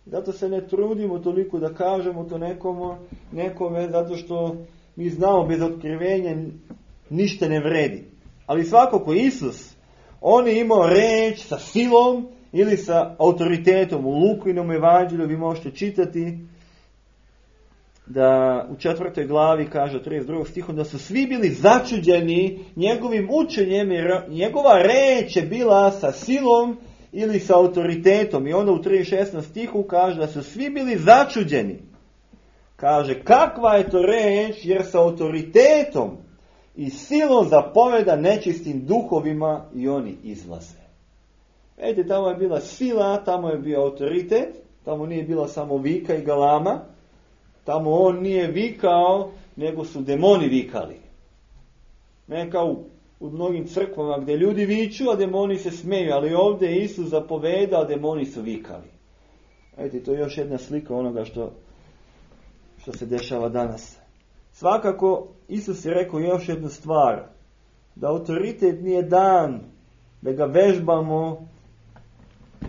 Zato se ne trudimo toliko da kažemo to nekome, zato što mi znamo bez otkrivenja ništa ne vredi. Ali svakako Isus, on je imao reč sa silom ili sa autoritetom. U Lukinom evanđelju vi možete čitati da u 4. glavi kaže 32. stihom da su svi bili začuđeni njegovim učenjem, jer njegova reč je bila sa silom ili sa autoritetom. I onda u 36. stihu kaže da su svi bili začuđeni. Kaže, kakva je to reč, jer sa autoritetom i silom zapoveda nečistim duhovima i oni izlaze. Vidite, tamo je bila sila, tamo je bio autoritet, tamo nije bila samo vika i galama, tamo on nije vikao, nego su demoni vikali. Ne kao u mnogim crkvama gdje ljudi viču, a demoni se smeju, ali ovdje je Isus zapoveda, a demoni su vikali. Vidite, to je još jedna slika onoga što se dešava danas. Svakako, Isus je rekao još jednu stvar, da autoritet nije dan, da ga vežbamo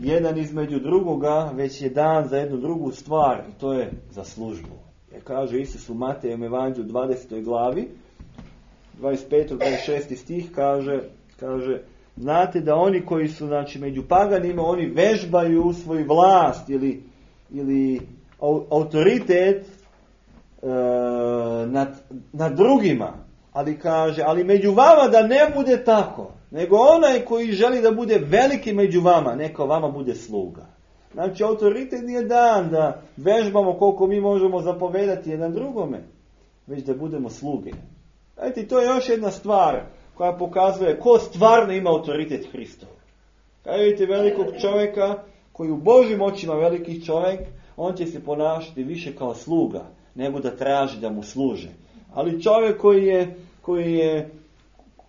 jedan između drugoga, već je dan za jednu drugu stvar, i to je za službu. Jer kaže Isus u Matejem evanđelju 20. glavi, 25. 26. stih kaže, znate da oni koji su među paganima, oni vežbaju svoju vlast ili autoritet nad drugima, ali kaže, ali među vama da ne bude tako, nego onaj koji želi da bude veliki među vama, neka vama bude sluga. Znači, autoritet nije dan da vežbamo koliko mi možemo zapovedati jedan drugome, već da budemo sluge. Znači, to je još jedna stvar koja pokazuje ko stvarno ima autoritet Hristov. Kada vidite velikog čovjeka, koji u Božjim očima veliki čovjek, on će se ponašati više kao sluga, nego da traži da mu služe. Ali čovjek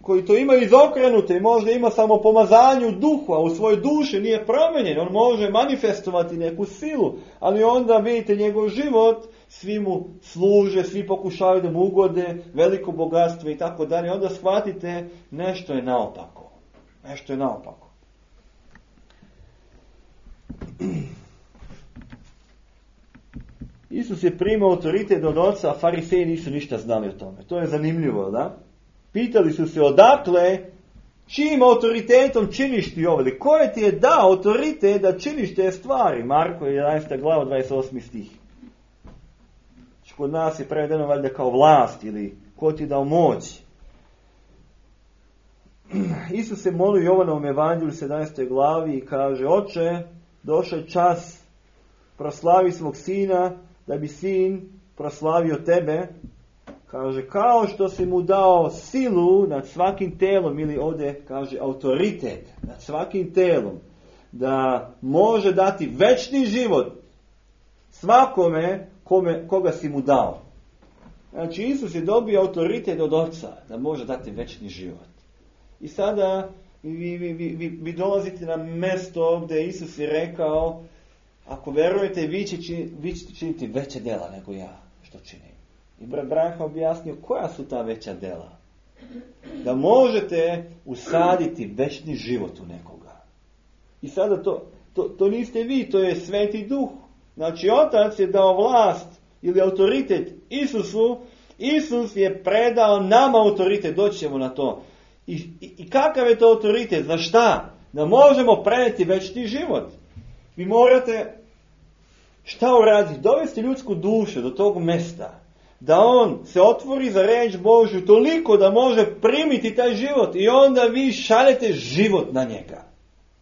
koji to ima izokrenuto i možda ima samo pomazanje u duhu, a u svojoj duši nije promijenjen, on može manifestovati neku silu, ali onda vidite njegov život, svi mu služe, svi pokušavaju da mu ugode, veliko bogatstvo i tako dalje, onda shvatite nešto je naopako. Nešto je naopako. Isus je primao autoritet od oca, a fariseji nisu ništa znali o tome. To je zanimljivo, da? Pitali su se odakle, čijim autoritetom činiš ti ovo? Ko je ti je dao autoritet da činiš te stvari? Marko 11. glava 28. stih. Kod nas je prevedeno valjda kao vlast ili ko ti je dao moć. Isus se molio Jovanovom evanđelju 17. glavi i kaže, Oče, došao je čas, proslavi svog sina, da bi sin proslavio tebe. Kaže, kao što si mu dao silu nad svakim telom, ili ovdje kaže autoritet nad svakim telom, da može dati večni život svakome koga si mu dao. Znači, Isus je dobio autoritet od Oca da može dati večni život. I sada vi dolazite na mjesto gdje Isus je rekao, ako verujete, vi ćete činiti veće djela nego ja. što činim. I brat Branha objasnio koja su ta veća dela. Da možete usaditi večni život u nekoga. I sada to niste vi, to je Sveti Duh. Znači, Otac je dao vlast ili autoritet Isusu. Isus je predao nama autoritet, doći ćemo na to. I kakav je to autoritet? Za šta? Da možemo prenijeti večni život. Vi morate šta uraditi? Dovesti ljudsku dušu do tog mesta. Da on se otvori za riječ Božju toliko da može primiti taj život. I onda vi šaljete život na njega.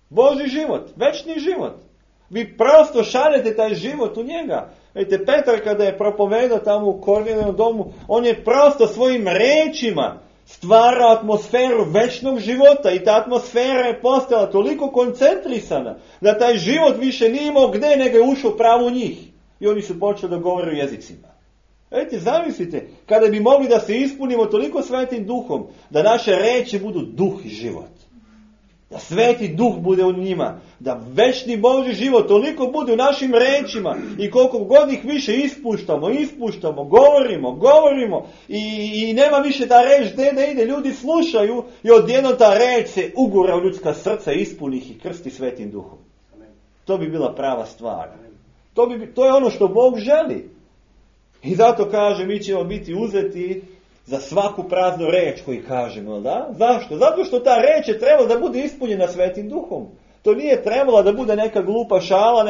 Božji život, večni život. Vi prosto šaljete taj život u njega. Vidite, Petar kada je propovedao tamo u Kornelijevom domu, on je prosto svojim rečima stvarao atmosferu večnog života i ta atmosfera je postala toliko koncentrisana da taj život više nije imao gdje nego je ušao pravo u njih. I oni su počeli da govore u jezicima. Vidite, zamislite, kada bi mogli da se ispunimo toliko Svetim Duhom, da naše reči budu duh i život. Da Sveti Duh bude u njima, da večni Božji život toliko bude u našim rečima i koliko god ih više ispuštamo, govorimo i nema više ta reč gdje da ide, ljudi slušaju i odjednom ta reč se ugura u ljudska srca, ispuni ih i krsti Svetim Duhom. To bi bila prava stvar. To je ono što Bog želi. I zato kaže, mi ćemo biti uzeti za svaku praznu reč koju kažemo, da? Zašto? Zato što ta reč je trebala da bude ispunjena Svetim Duhom. To nije trebala da bude neka glupa šala,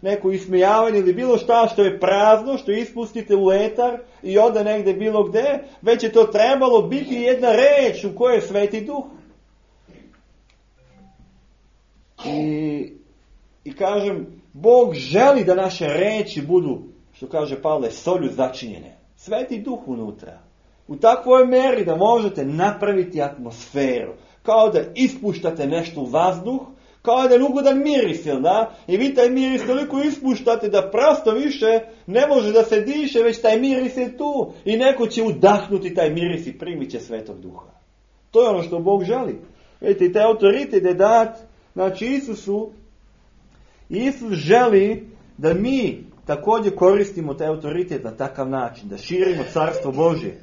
neko ismijavanje ili bilo šta što je prazno, što ispustite u etar i ode negdje bilo gdje, već je to trebalo biti jedna reč u kojoj je Sveti Duh. I kažem, Bog želi da naše reči budu, što kaže Pavle, solju začinjene. Sveti Duh unutra. U takvoj meri da možete napraviti atmosferu. Kao da ispuštate nešto u vazduh, kao da je ugodan miris, jel da? I vi taj miris toliko ispuštate da prosto više ne može da se diše, već taj miris je tu. I neko će udahnuti taj miris i primit će Svetog Duha. To je ono što Bog želi. Vidite, i taj autoritet je dat, znači Isusu. Isus želi da mi također koristimo taj autoritet na takav način, da širimo Carstvo Božje.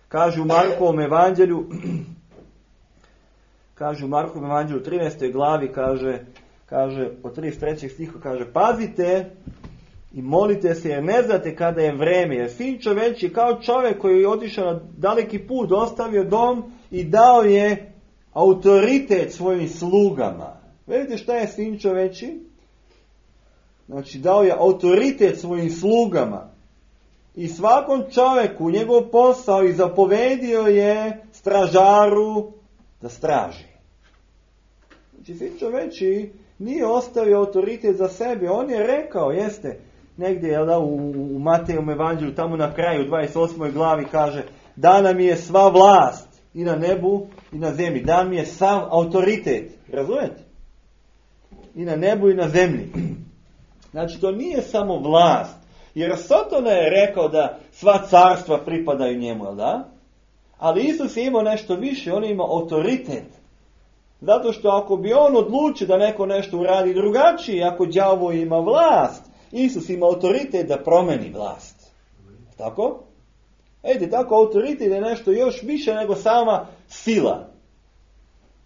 Kaže u Markovom evanđelju, u 13. glavi, kaže od 33. stiha, kaže, pazite i molite se jer ne znate kada je vreme, jer Sin čovječji kao čovjek koji je otišao na daleki put, ostavio dom i dao je autoritet svojim slugama. Vidite šta je Sin čovječji? Znači dao je autoritet svojim slugama. I svakom čovjeku njegov posao i zapovedio je stražaru da straži. Znači, Sin čovječji nije ostavio autoritet za sebe. On je rekao, jeste, negdje u Matejovom evanđelju, tamo na kraju, 28. glavi, kaže, dana mi je sva vlast i na nebu i na zemlji. Dan mi je sav autoritet. Razumijete? I na nebu i na zemlji. Znači, to nije samo vlast. Jer Sotona je rekao da sva carstva pripadaju njemu, jel da? Ali Isus je imao nešto više, on je imao autoritet. Zato što ako bi on odlučio da neko nešto uradi drugačije, ako đavo ima vlast, Isus ima autoritet da promeni vlast. Tako? Tako autoritet je nešto još više nego sama sila.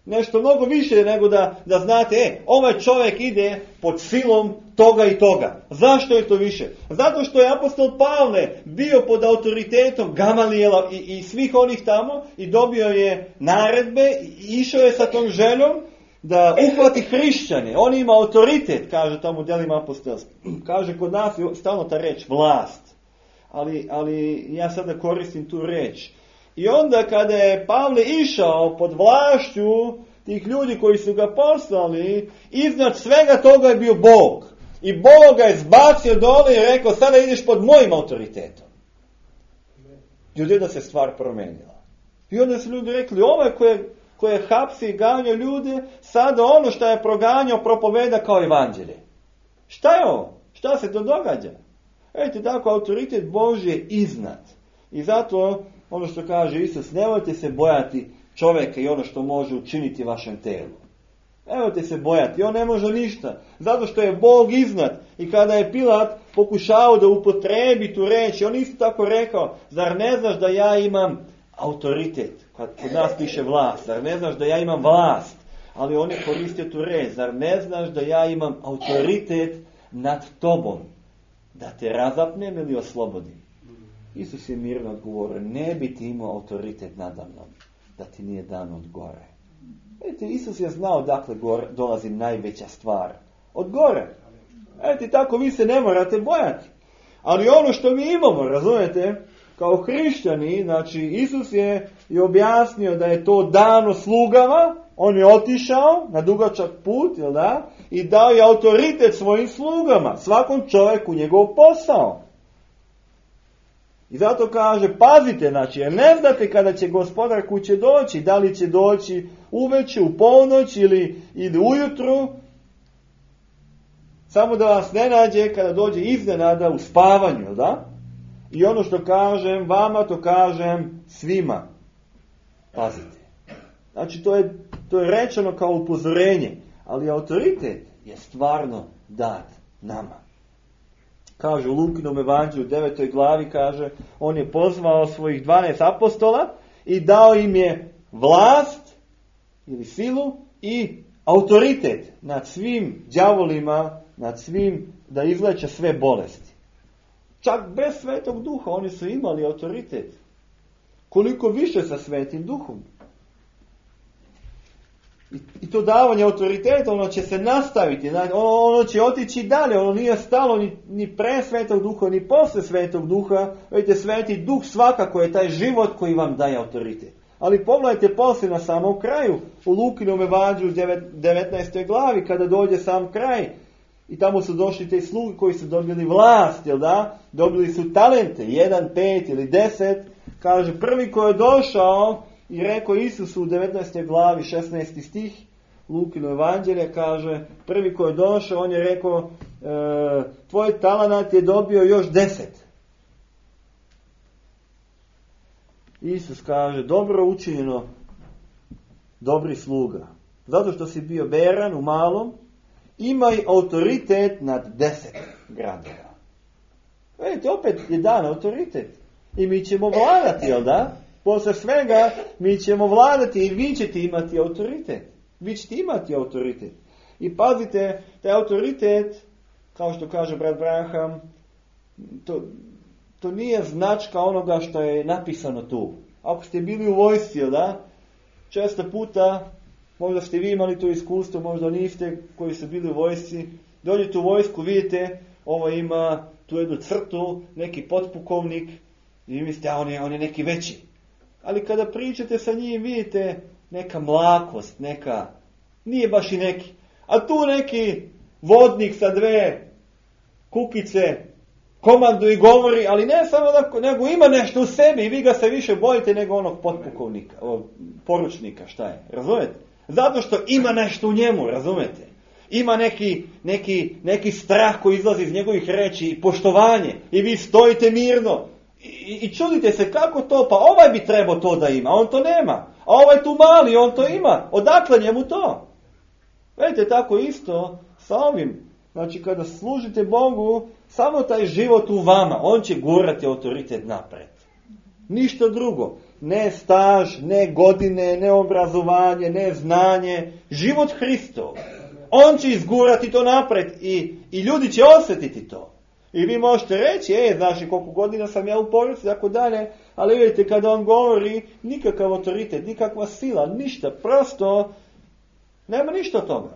Nešto mnogo više nego da znate, ovaj čovjek ide pod silom toga i toga. Zašto je to više? Zato što je apostol Pavle bio pod autoritetom Gamalijela i svih onih tamo i dobio je naredbe i išao je sa tom željom da uhvati hrišćane. On ima autoritet, kaže tamo u djelima apostolstva. Kaže kod nas je stalno ta reč vlast. Ali ja sada koristim tu reč. I onda kada je Pavle išao pod vlašću tih ljudi koji su ga poslali, iznad svega toga je bio Bog. I Bog ga je zbacio dole i rekao, sada ideš pod mojim autoritetom. I odjedno se stvar promenila. I onda su ljudi rekli, ovaj koje hapsi i ganja ljude, sada ono što je proganjao propoveda kao evanđelje. Šta je ovo? Šta se to događa? Tako autoritet Božji je iznad. I zato ono što kaže Isus, nemojte se bojati čovjeka i ono što može učiniti vašem telu. Nemojte se bojati, on ne može ništa. Zato što je Bog iznad. I kada je Pilat pokušao da upotrebi tu reč, on isto tako rekao, zar ne znaš da ja imam autoritet? Kod nas piše vlast. Zar ne znaš da ja imam vlast? Ali on je koristio tu reč. Zar ne znaš da ja imam autoritet nad tobom? Da te razapnem ili oslobodim? Isus je mirno odgovorio, ne bi ti imao autoritet nadamnom, da ti nije dan od gore. Vidite, Isus je znao dakle dolazi najveća stvar. Od gore. Vidite, tako vi se ne morate bojati. Ali ono što mi imamo, razumijete, kao hrišćani, znači Isus je i objasnio da je to dano slugama, on je otišao na dugačak put, jel da? I dao je autoritet svojim slugama, svakom čovjeku njegov posao. I zato kaže, pazite, znači, jer ne znate kada će gospodar kuće doći, da li će doći uveče, u ponoć ili ujutru, samo da vas ne nađe kada dođe iznenada u spavanju, jel da? I ono što kažem vama, to kažem svima. Pazite. Znači, to je rečeno kao upozorenje, ali autoritet je stvarno dat nama. Kaže u Lukinom evanđelju u 9. glavi, kaže, on je pozvao svojih 12 apostola i dao im je vlast ili silu i autoritet nad svim đavolima, nad svim, da izleče sve bolesti. Čak bez Svetog Duha oni su imali autoritet. Koliko više sa Svetim Duhom. I to davanje autoriteta, ono će se nastaviti, ono će otići dalje, ono nije stalo ni pre Svetog Duha, ni posle Svetog Duha. Vidite, Sveti Duh svakako je taj život koji vam daje autoritet. Ali pogledajte poslije na samom kraju, u Lukinom evanđelju 19. glavi, kada dođe sam kraj, i tamo su došli te sluge koji su dobili vlast, jel da? Dobili su talente, 1, 5 ili 10, kaže, prvi koji je došao, i rekao Isusu u 19. glavi 16. stih Lukino evanđelje, kaže, prvi koji je došao, on je rekao, tvoj talenat je dobio još 10. Isus kaže, dobro učinjeno, dobri sluga. Zato što si bio veran u malom, imaj autoritet nad 10 gradova. Vidite, opet je dan autoritet. I mi ćemo vladati, jel da? Posle svega mi ćemo vladati i vi ćete imati autoritet. Vi ćete imati autoritet. I pazite, taj autoritet, kao što kaže brat Branham, to nije značka onoga što je napisano tu. Ako ste bili u vojsci, da? Često puta, možda ste vi imali to iskustvo, možda niste, koji su bili u vojsci, dođete u vojsku, vidite, ovo ima tu jednu crtu, neki potpukovnik, i vi mislite, on je neki veći. Ali kada pričate sa njim, vidite neka mlakost, nije baš i neki. A tu neki vodnik sa 2 kukice komanduje i govori, ali ne samo nego ima nešto u sebi i vi ga se više bojite nego onog potpukovnika, poručnika, šta je, razumete? Zato što ima nešto u njemu, razumete? Ima neki strah koji izlazi iz njegovih reči i poštovanje i vi stojite mirno. I čudite se kako to, pa ovaj bi trebao to da ima, on to nema. A ovaj tu mali, on to ima. Odakle njemu to? Vidite, tako isto sa ovim. Znači, kada služite Bogu, samo taj život u vama, on će gurati autoritet napred. Ništa drugo. Ne staž, ne godine, ne obrazovanje, ne znanje. Život Hristov. On će izgurati to napred i ljudi će osjetiti to. I vi možete reći, znaš koliko godina sam ja u porodici, tako dalje, ali vidite, kada on govori, nikakav autoritet, nikakva sila, ništa, prosto, nema ništa od toga.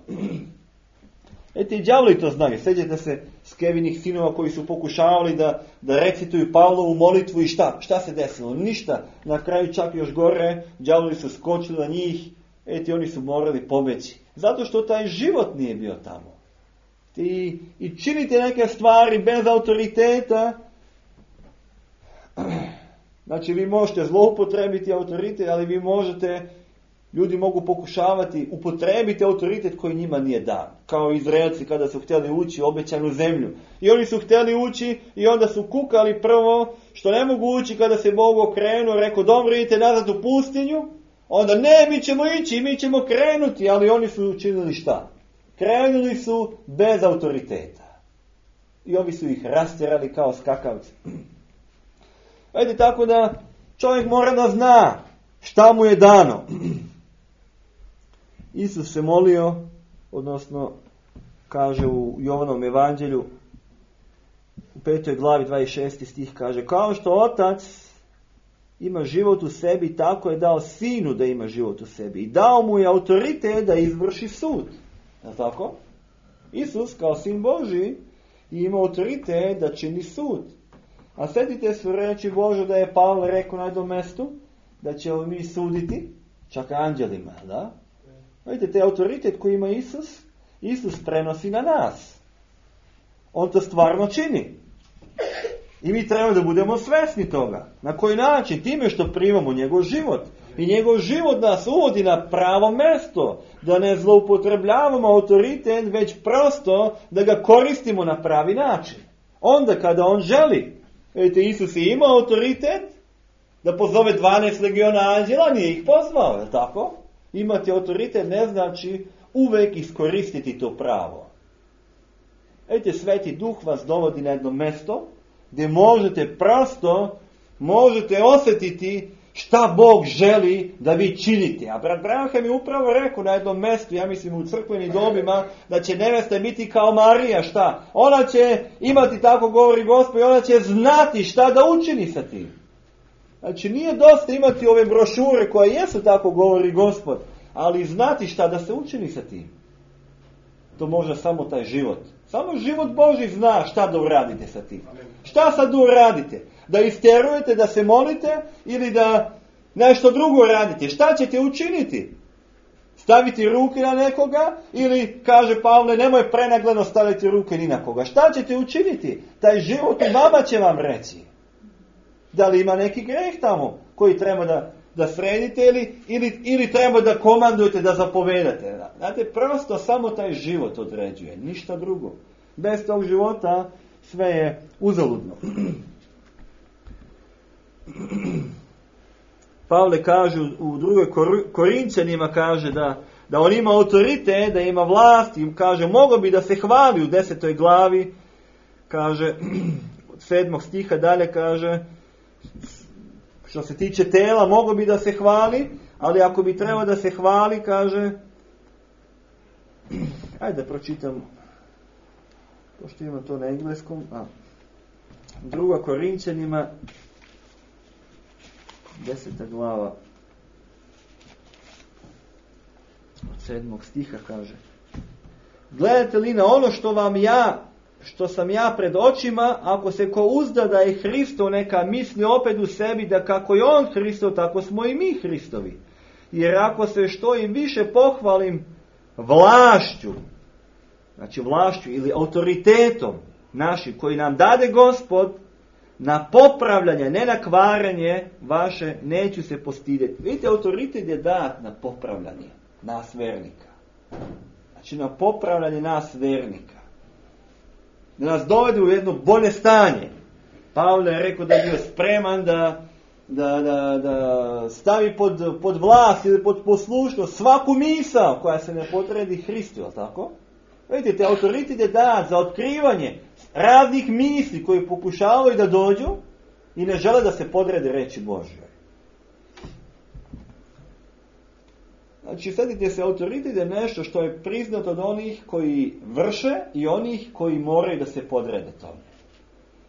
I đavoli to znaju, sjećate se Skevinih sinova koji su pokušavali da recituju Pavlovu molitvu i šta se desilo? Ništa, na kraju čak još gore, đavoli su skočili na njih, oni su morali pobeći, zato što taj život nije bio tamo. I činite neke stvari bez autoriteta. Znači vi možete zloupotrebiti autoritet, ali vi možete, ljudi mogu pokušavati upotrebiti autoritet koji njima nije dan. Kao Izraelci kada su htjeli ući u obećanu zemlju. I oni su htjeli ući i onda su kukali prvo što ne mogu ući kada se Bog okrenuo, rekao dobro idite nazad u pustinju, Onda ne, mi ćemo ići, mi ćemo krenuti, ali oni su učinili šta? Krenuli su bez autoriteta. I ovi su ih rastjerali kao skakavci. Vidite, tako da čovjek mora da zna šta mu je dano. Isus se molio, odnosno kaže u Jovanom evanđelju, u 5. glavi 26. stih kaže, kao što Otac ima život u sebi, tako je dao Sinu da ima život u sebi. I dao mu je autoritet da izvrši sud. Je tako? Isus kao Sin Božji ima autoritet da čini sud. A sjetite se reći Bože da je Pavle rekao na jednom mjestu da ćemo mi suditi čak anđelima, da? Vidite, te autoritet koji ima Isus prenosi na nas. On to stvarno čini. I mi trebamo da budemo svjesni toga. Na koji način? Time što primamo njegov život. I njegov život nas uvodi na pravo mjesto. Da ne zloupotrebljavamo autoritet, već prosto da ga koristimo na pravi način. Onda kada on želi. Vidite, Isus je imao autoritet da pozove 12 legiona anđela, nije ih pozvao, je tako? Imati autoritet ne znači uvek iskoristiti to pravo. Vidite, Sveti Duh vas dovodi na jedno mjesto gdje možete osjetiti šta Bog želi da vi činite. A brat Branham je upravo rekao na jednom mjestu, ja mislim u crkvenim dobima, da će nevesta biti kao Marija, šta? Ona će imati, tako govori Gospod, i ona će znati šta da učini sa tim. Znači nije dosta imati ove brošure koje jesu, tako govori Gospod, ali znati šta da se učini sa tim. To može samo taj život. Samo život Božji zna šta da uradite sa tim. Šta sad uradite? Da isterujete, da se molite ili da nešto drugo radite? Šta ćete učiniti? Staviti ruke na nekoga ili, kaže Pavle, nemoj prenagleno staviti ruke ni na koga. Šta ćete učiniti? Taj život u vama će vam reći. Da li ima neki greh tamo koji treba da sredite ili treba da komandujete, da zapovedate. Znate, prosto samo taj život određuje, ništa drugo. Bez tog života sve je uzaludno. Pavle kaže u drugoj Korinćanima kaže da on ima autoritet, da ima vlast i kaže mogao bi da se hvali u 10. glavi, kaže od 7. stiha dalje kaže što se tiče tela mogao bi da se hvali, ali ako bi trebao da se hvali kaže ajde da pročitam pošto ima to na engleskom. Druga Korinćanima 10. glava od 7. stiha kaže gledate li na ono što sam ja pred očima, ako se ko uzda da je Hristov, neka misli opet u sebi da kako je on Hristov, tako smo i mi Hristovi. Jer ako se što im više pohvalim vlašću, znači vlašću ili autoritetom našim koji nam dade Gospod, na popravljanje, ne na kvaranje vaše, neću se postidjeti. Vidite, autoritet je dat na popravljanje nas vernika. Znači na popravljanje nas vernika. Da nas dovede u jedno bolje stanje. Pavle je rekao da je bio spreman da stavi pod vlast ili pod poslušnost svaku misao koja se ne podredi Hristu, tako? Vidite, autoritet je dat za otkrivanje raznih misli koji pokušavaju da dođu i ne žele da se podrede reči Božje. Znači, sjetite se, autoritet je nešto što je priznato od onih koji vrše i onih koji moraju da se podrede tome.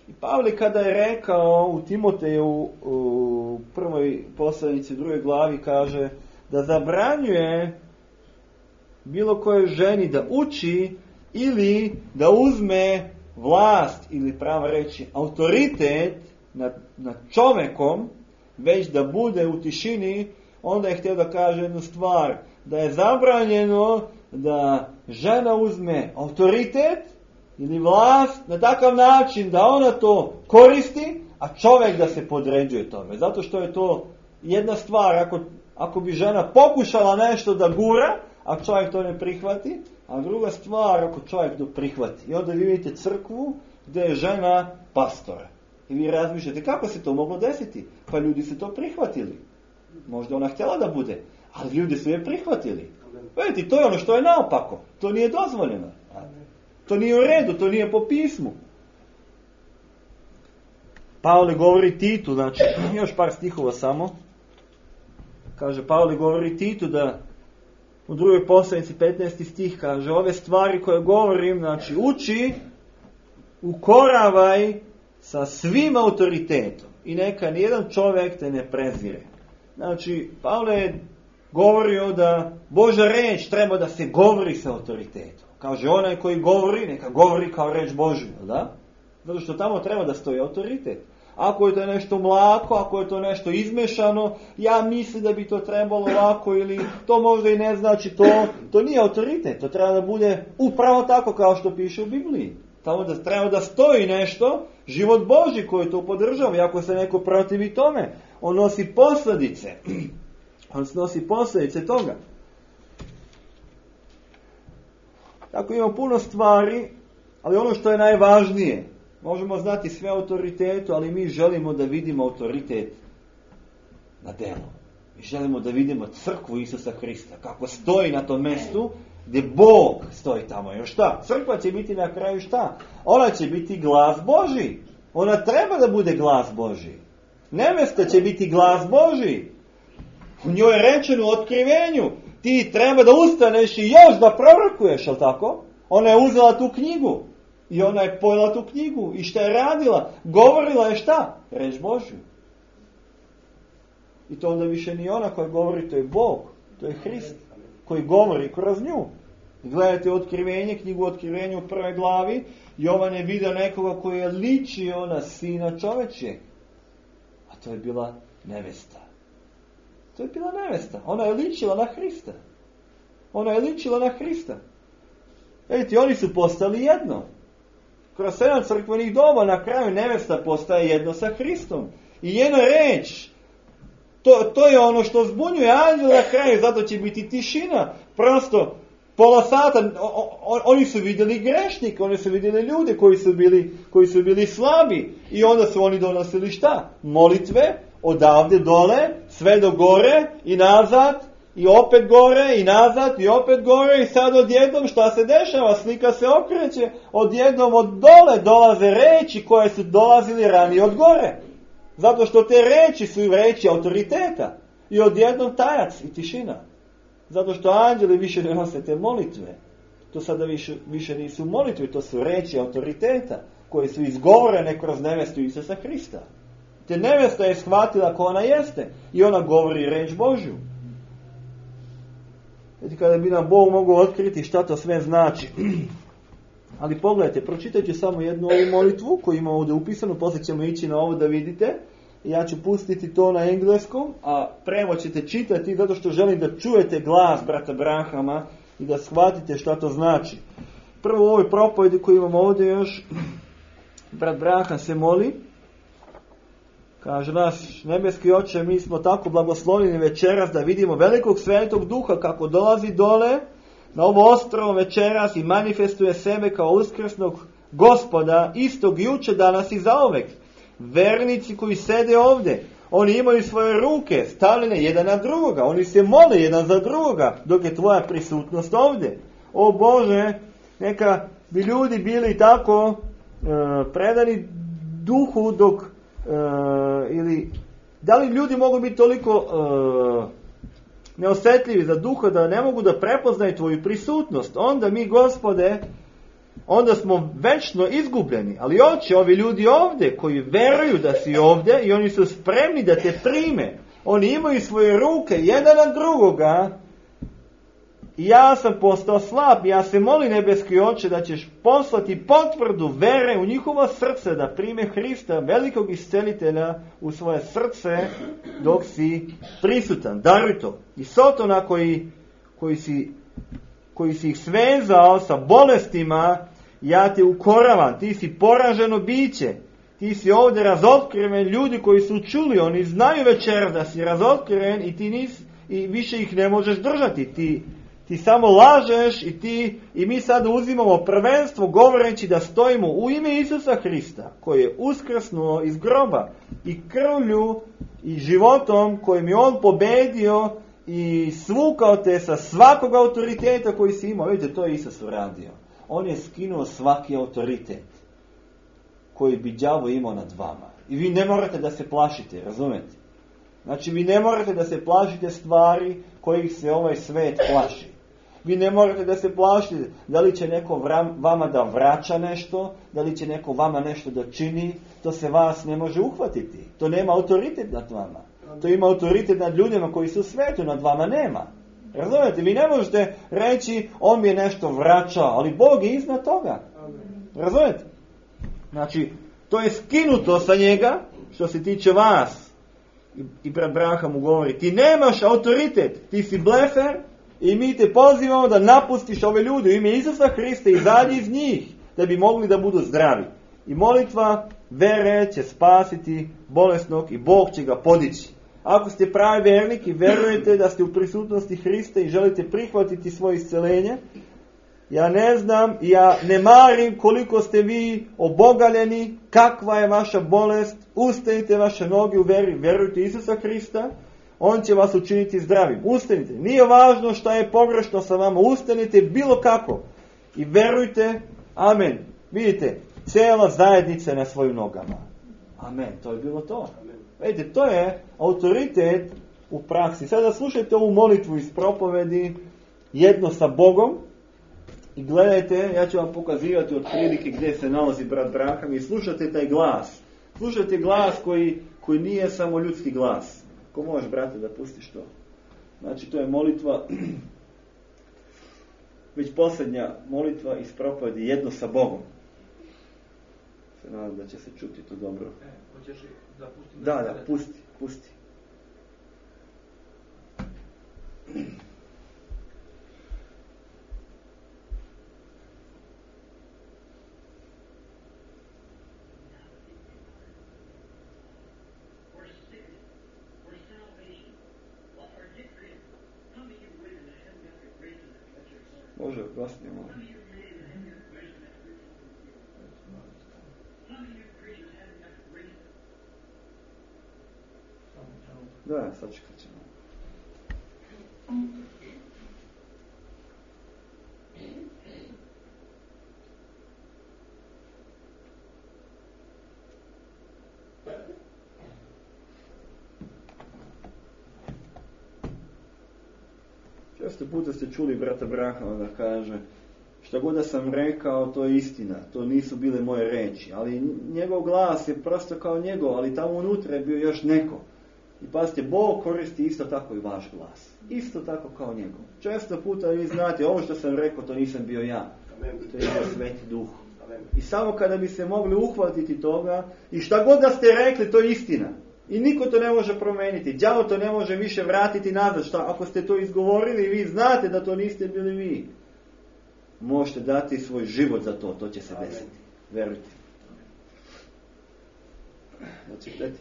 I Pavle kada je rekao u Timoteju u prvoj poslanici, drugoj glavi, kaže da zabranjuje bilo kojoj ženi da uči ili da uzme vlast ili pravo reći autoritet nad čovjekom, već da bude u tišini. Onda je htio da kaže jednu stvar, da je zabranjeno da žena uzme autoritet ili vlast na takav način da ona to koristi, a čovjek da se podređuje tome. Zato što je to jedna stvar, ako bi žena pokušala nešto da gura, a čovjek to ne prihvati, a druga stvar ako čovjek to prihvati. I onda vi vidite crkvu gdje je žena pastor. I vi razmišljate kako se to moglo desiti? Pa ljudi se to prihvatili. Možda ona htjela da bude, ali ljudi su je prihvatili. Vidite, to je ono što je naopako. To nije dozvoljeno. To nije u redu, to nije po pismu. Pavle govori Titu, znači, još par stihova samo. Kaže, Pavle govori Titu da u drugoj poslanici 15. stih kaže, ove stvari koje govorim, znači, uči, ukoravaj sa svim autoritetom i neka nijedan čovjek te ne prezire. Znači, Pavle je govorio da Božja reč treba da se govori sa autoritetom. Kaže, onaj koji govori, neka govori kao reč Božju, da? Zato što tamo treba da stoji autoritet. Ako je to nešto mlako, ako je to nešto izmešano, ja mislim da bi to trebalo ovako ili to možda i ne znači to nije autoritet. To treba da bude upravo tako kao što piše u Bibliji. Tamo da treba da stoji nešto, život Božji koji to podržava. I ako se neko protivi tome, on nosi posljedice. On nosi posljedice toga. Tako ima puno stvari, ali ono što je najvažnije, možemo znati sve autoritetu, ali mi želimo da vidimo autoritet na delu. Mi želimo da vidimo crkvu Isusa Hrista, kako stoji na tom mjestu gdje Bog stoji tamo. Još šta? Crkva će biti na kraju šta? Ona će biti glas Božji. Ona treba da bude glas Božji. Nevesta će biti glas Božji. U njoj je rečeno u otkrivenju. Ti treba da ustaneš i još da prorokuješ, jel tako? Ona je uzela tu knjigu. I ona je pojela tu knjigu. I šta je radila? Govorila je šta? Reč Božju. I to onda više ni ona koja govori, to je Bog. To je Hrist koji govori kroz nju. Gledajte otkrivenje, knjigu Otkrivenja u 1. glavi. Jovan je vidio nekoga koji je ličio na sina čovečjeg. A to je bila nevesta. To je bila nevesta. Ona je ličila na Hrista. Ona je ličila na Hrista. Vidite, oni su postali jedno. Kroz 7 crkvenih doba na kraju nevesta postaje jedno sa Hristom. I jedna reč, to je ono što zbunjuje anđela na kraju, zato će biti tišina. Prosto, pola sata, oni su vidjeli grešnike, oni su vidjeli ljude koji su bili slabi. I onda su oni donosili šta? Molitve, odavde dole, sve do gore i nazad, i opet gore i nazad i opet gore i sad odjednom šta se dešava? Slika se okreće, odjednom od dole dolaze reči koje su dolazili ranije od gore. Zato što te reči su reči autoriteta. I odjednom tajac i tišina. Zato što anđeli više ne nose te molitve. To sada više nisu molitve, to su reči autoriteta koje su izgovorene kroz nevestu Isusa Hrista. Te nevesta je shvatila ko ona jeste i ona govori reč Božju. Znači kada bi nam Bog mogao otkriti šta to sve znači. Ali pogledajte, pročitajte samo jednu ovu molitvu koju ima ovdje upisanu, poslije ćemo ići na ovo da vidite. Ja ću pustiti to na engleskom, a prevod ćete čitati zato što želim da čujete glas brata Branhama i da shvatite šta to znači. Prvo u ovoj propovedi koju imamo ovdje još, brat Branham se moli. Kaže, naš nebeski Oče, mi smo tako blagoslovljeni večeras da vidimo velikog svetog duha kako dolazi dole na ovo ostrvo večeras i manifestuje sebe kao uskrsnog Gospoda, istog juče, danas i zauvek. Vernici koji sede ovdje, oni imaju svoje ruke stavljene jedan na drugoga, oni se mole jedan za drugoga dok je tvoja prisutnost ovdje. O Bože, neka bi ljudi bili tako predani duhu dok ili da li ljudi mogu biti toliko neosjetljivi za duha da ne mogu da prepoznaju tvoju prisutnost. Onda mi, Gospode, onda smo večno izgubljeni. Ali Oče, ovi ljudi ovdje koji veruju da si ovdje i oni su spremni da te prime, oni imaju svoje ruke jedan na drugoga. I ja sam postao slab, ja se molim nebeski Oče da ćeš poslati potvrdu vere u njihovo srce da prime Hrista, velikog iscelitelja, u svoje srce dok si prisutan. Daruj to. I Sotona koji si ih svezao sa bolestima, ja te ukoravam, ti si poraženo biće, ti si ovdje razotkriven, ljudi koji su čuli, oni znaju večeras da si razotkriven i više ih ne možeš držati, ti samo lažeš i mi sada uzimamo prvenstvo govoreći da stojimo u ime Isusa Hrista koji je uskrsnuo iz groba i krvlju i životom kojim je on pobedio i svukao te sa svakog autoriteta koji si imao. Vidite, to je Isus uradio. On je skinuo svaki autoritet koji bi đavo imao nad vama. I vi ne morate da se plašite, razumete? Znači, vi ne morate da se plašite stvari kojih se ovaj svet plaši. Vi ne morate da se plašite da li će neko vama da vraća nešto, da li će neko vama nešto da čini. To se vas ne može uhvatiti. To nema autoritet nad vama. To ima autoritet nad ljudima koji su u svetu, nad vama nema. Razumete? Vi ne možete reći on mi je nešto vraćao, ali Bog je iznad toga. Razumete? Znači, to je skinuto sa njega što se tiče vas. I brat Branham mu govori, ti nemaš autoritet, ti si blefer i mi te pozivamo da napustiš ove ljude u ime Isusa Hrista i izađi iz njih, da bi mogli da budu zdravi. I molitva vere će spasiti bolesnog i Bog će ga podići. Ako ste pravi vernik i verujete da ste u prisutnosti Hrista i želite prihvatiti svoje isceljenje, ja ne znam, ja ne marim koliko ste vi obogaljeni, kakva je vaša bolest, ustanite vaše noge u veri, verujte Isusa Hrista, on će vas učiniti zdravim. Ustanite, nije važno šta je pogrešno sa vama, ustanite bilo kako i verujte, amen. Vidite, cijela zajednica je na svojim nogama. Amen, to je bilo to. Vidite, to je autoritet u praksi. Sada slušajte ovu molitvu iz propovedi, jedno sa Bogom, i gledajte, ja ću vam pokazivati od prilike gdje se nalazi brat Branham i slušajte taj glas. Slušajte glas koji nije samo ljudski glas. Ko možeš, brate, da pustiš to? Znači, to je molitva, već posljednja molitva iz propovedi, jedno sa Bogom. Se nadam da će se čuti to dobro. Hoćeš da pustim? Da, pusti. Može, glasnije malo. Da, sačekat ćemo. Često puta ste čuli brata Branhama da kaže, šta god da sam rekao, to je istina, to nisu bile moje reči, ali njegov glas je prosto kao njegov, ali tamo unutra je bio još neko. I pazite, Bog koristi isto tako i vaš glas. Isto tako kao njegov. Često puta vi znate, ovo što sam rekao, to nisam bio ja. To je bio Sveti Duh. I samo kada bi se mogli uhvatiti toga, i šta god da ste rekli, to je istina. I niko to ne može promeniti. Đavo to ne može više vratiti nazad. Šta, ako ste to izgovorili, vi znate da to niste bili vi. Možete dati svoj život za to. To će se desiti. Verujte. Znači, gledajte.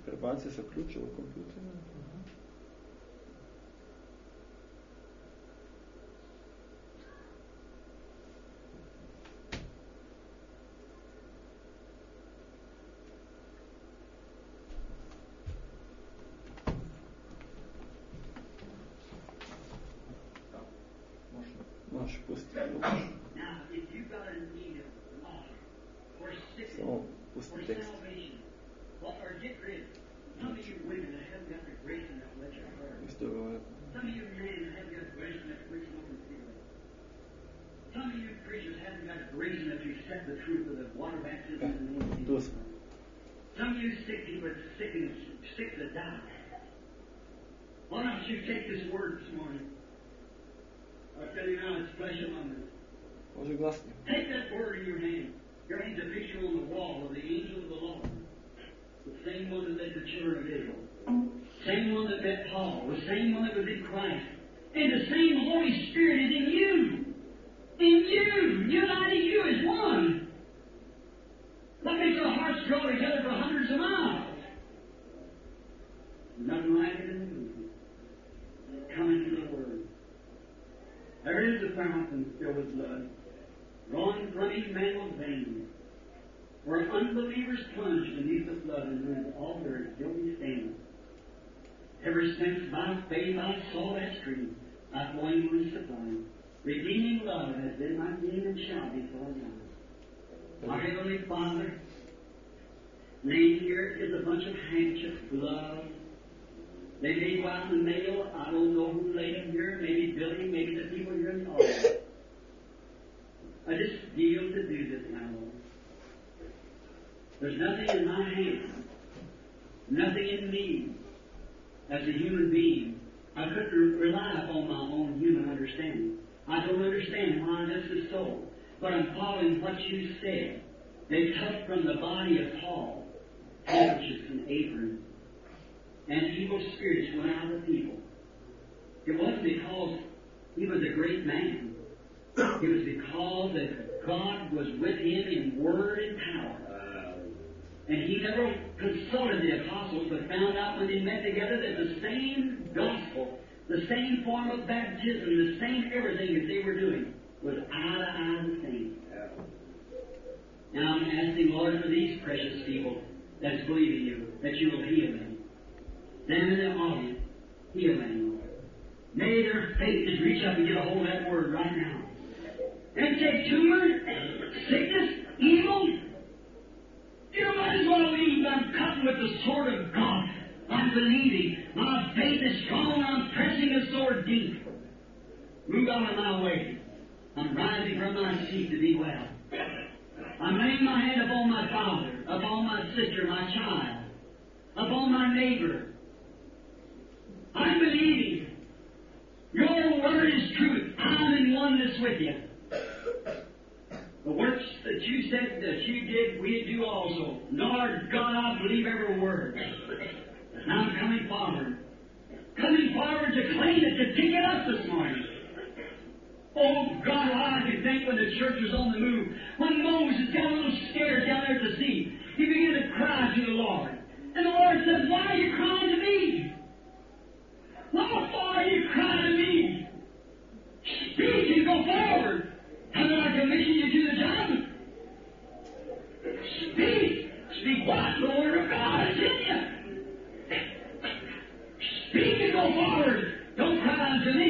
Prebacio sa ključa u kompjuteru. Možeš pustiti. Samo pusti tekst. Some of you women that haven't got the grace enough to let you hurt. Some of you men that haven't got grace enough to reach an open field. Some of you preachers haven't got grace enough to accept the truth of the water baptism in the name of Jesus. Some of you sick people are sick to die. Why don't you take this word this morning? I tell you now, it's flesh among us. Take that word in your hand. Your hand's a picture on the wall of the angel of the Lord. The same one that led the children of Israel. Same one that met Paul. The same one that was in Christ. And the same Holy Spirit is in you. In you. Uniting you as one. That makes our hearts grow together for hundreds of miles. Nothing like it in the movie. Coming to the Word. There is a fountain filled with blood, drawn from Emmanuel's veins, where unbelievers plunge beneath the flood and lose all their guilty stains. Ever since by faith I saw that stream, I flowing and supplying, redeeming love has been my theme and shall be for now. Our Heavenly Father, laying here is a bunch of handkerchiefs, gloves. They may go out in the mail. I don't know who laid them here. Maybe Billy, maybe the people here in the audience. I just feel to do this now, Lord. There's nothing in my hand, nothing in me as a human being. I couldn't rely upon my own human understanding. I don't understand why this is so. But I'm following what you said. They took from the body of Paul handkerchiefs and aprons, and evil spirits went out of the people. It wasn't because he was a great man. It was because that God was with him in word and power. And he never consulted the apostles, but found out when they met together that the same gospel, the same form of baptism, the same everything that they were doing was eye to eye the same. Now I'm asking, Lord, for these precious people that's believing you, that you will heal them. Them in the audience, heal them, Lord. May their faith just reach up and get a hold of that word right now. And take tumor, sickness, evil. You might as well leave. I'm cutting with the sword of God. I'm believing. My faith is strong. I'm pressing the sword deep. Move out of my way. I'm rising from my seat to be well. I'm laying my hand upon my father, upon my sister, my child, upon my neighbor. I'm believing. Your word is truth. I'm in oneness with you. The works that you said that you did, we do also. Lord God, I believe every word. Now I'm coming forward. Coming forward to claim it, to pick it up this morning. Oh God, I can think when the church was on the move, when Moses got a little scared down there at the sea, he began to cry to the Lord. And the Lord said, why are you crying to me? Why are you crying to me? Speak and go forward. Haven't I commissioned you to the job? Speak. Speak what? The Word of God is in you. Speak and go forward. Don't cry unto me.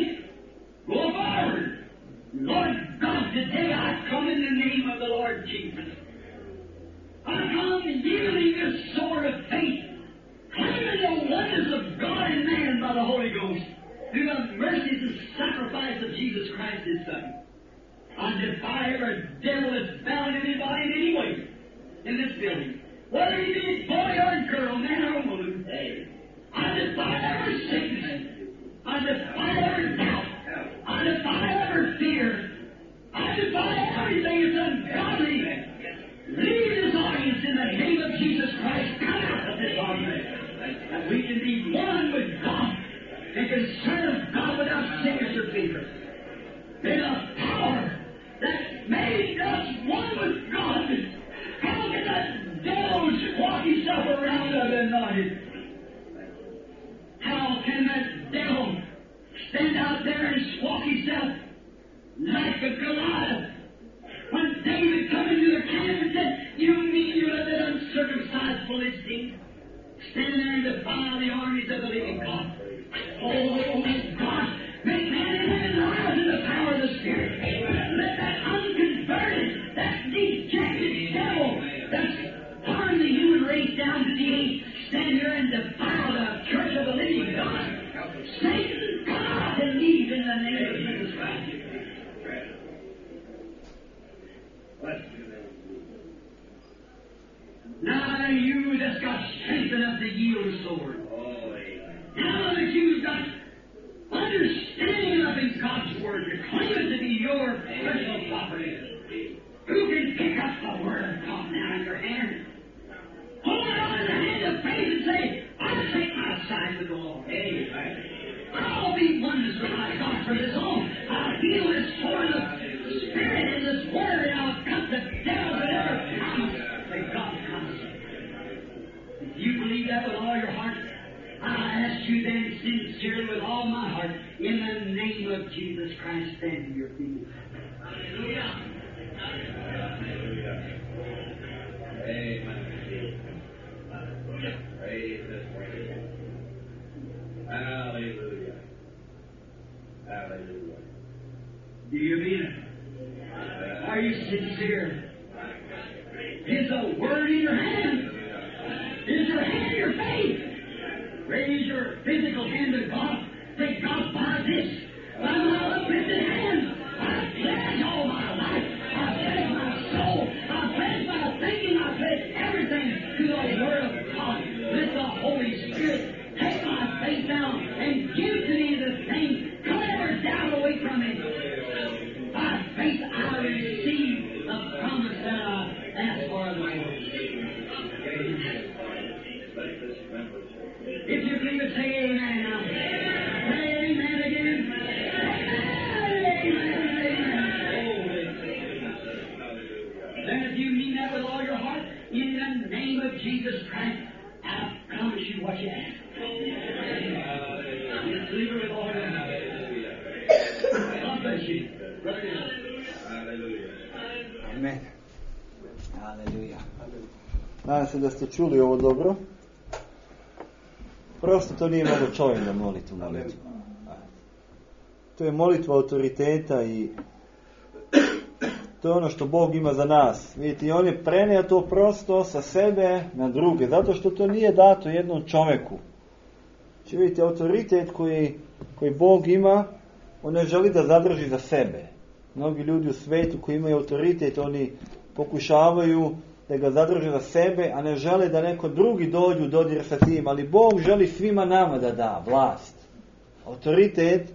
Go forward. Lord God, today I come in the name of the Lord Jesus. I come yielding this sword of faith, claiming the oneness of God and man by the Holy Ghost, through the mercies and sacrifice of Jesus Christ, His Son. I defy every devil that's bound anybody in any way in this building, whether he be boy or girl, man or woman. I defy every sickness. I defy every doubt. I defy every fear. I defy everything that's ungodly. Leave this audience in the name of Jesus Christ. Come out of this audience. That we can be one with God and can serve God without sickness or fear. May the power that made us one with God. How can that devil walk himself around anointed? How can that devil stand out there and walk himself like a Goliath? When David come into the camp and said, you mean you let that uncircumcised Philistine stand there and defy the armies of the living God? Oh, God, make man and women rise in the power of the Spirit. Let that unconverted, that dejected devil that's harmed the human race down to the age stand here and defile the church of the living God. Satan, come out and leave in the name of Jesus Christ. Now you that's got strength enough to yield a sword. Now that you've got understanding enough in God's Word to claim it to be your personal property, who can pick up the Word of God now in your hand? Hold it on in the hand of that with all your heart? I ask you then sincerely with all my heart, in the name of Jesus Christ, stand to your feet. Hallelujah. Hallelujah. Amen. Praise this way. Hallelujah. Hallelujah. Do you mean it? Are you sincere? Is a word in your hand? Is your hand your faith? Raise your physical hand to God. Say, God, by this, by my uplifted hand, I pledge all my life. I pledge my soul. I pledge my thinking. I pledge everything to the Word of God. Let the Holy Spirit take my faith down and give to me the thing. Clear down away from it. By faith I receive the promise that I asked for the Lord. If you believe it, say amen now. Say amen again. Amen. Then if you mean that with all your heart, in the name of Jesus Christ, I promise you what you ask. Just believe it with all your heart. God bless you. Amen. Haleluja. Nadam se da ste čuli ovo dobro. Prosto to nije mogo čovjek da moli tu molitvu. To je molitva autoriteta i to je ono što Bog ima za nas. Vidite, i on je prenio to prosto sa sebe na druge, zato što to nije dato jednom čovjeku. Znači, vidite, autoritet koji Bog ima, on ne želi da zadrži za sebe. Mnogi ljudi u svijetu koji imaju autoritet, oni pokušavaju da ga zadrže za sebe, a ne žele da neko drugi dođu u dodir sa tim. Ali Bog želi svima nama da da vlast. Autoritet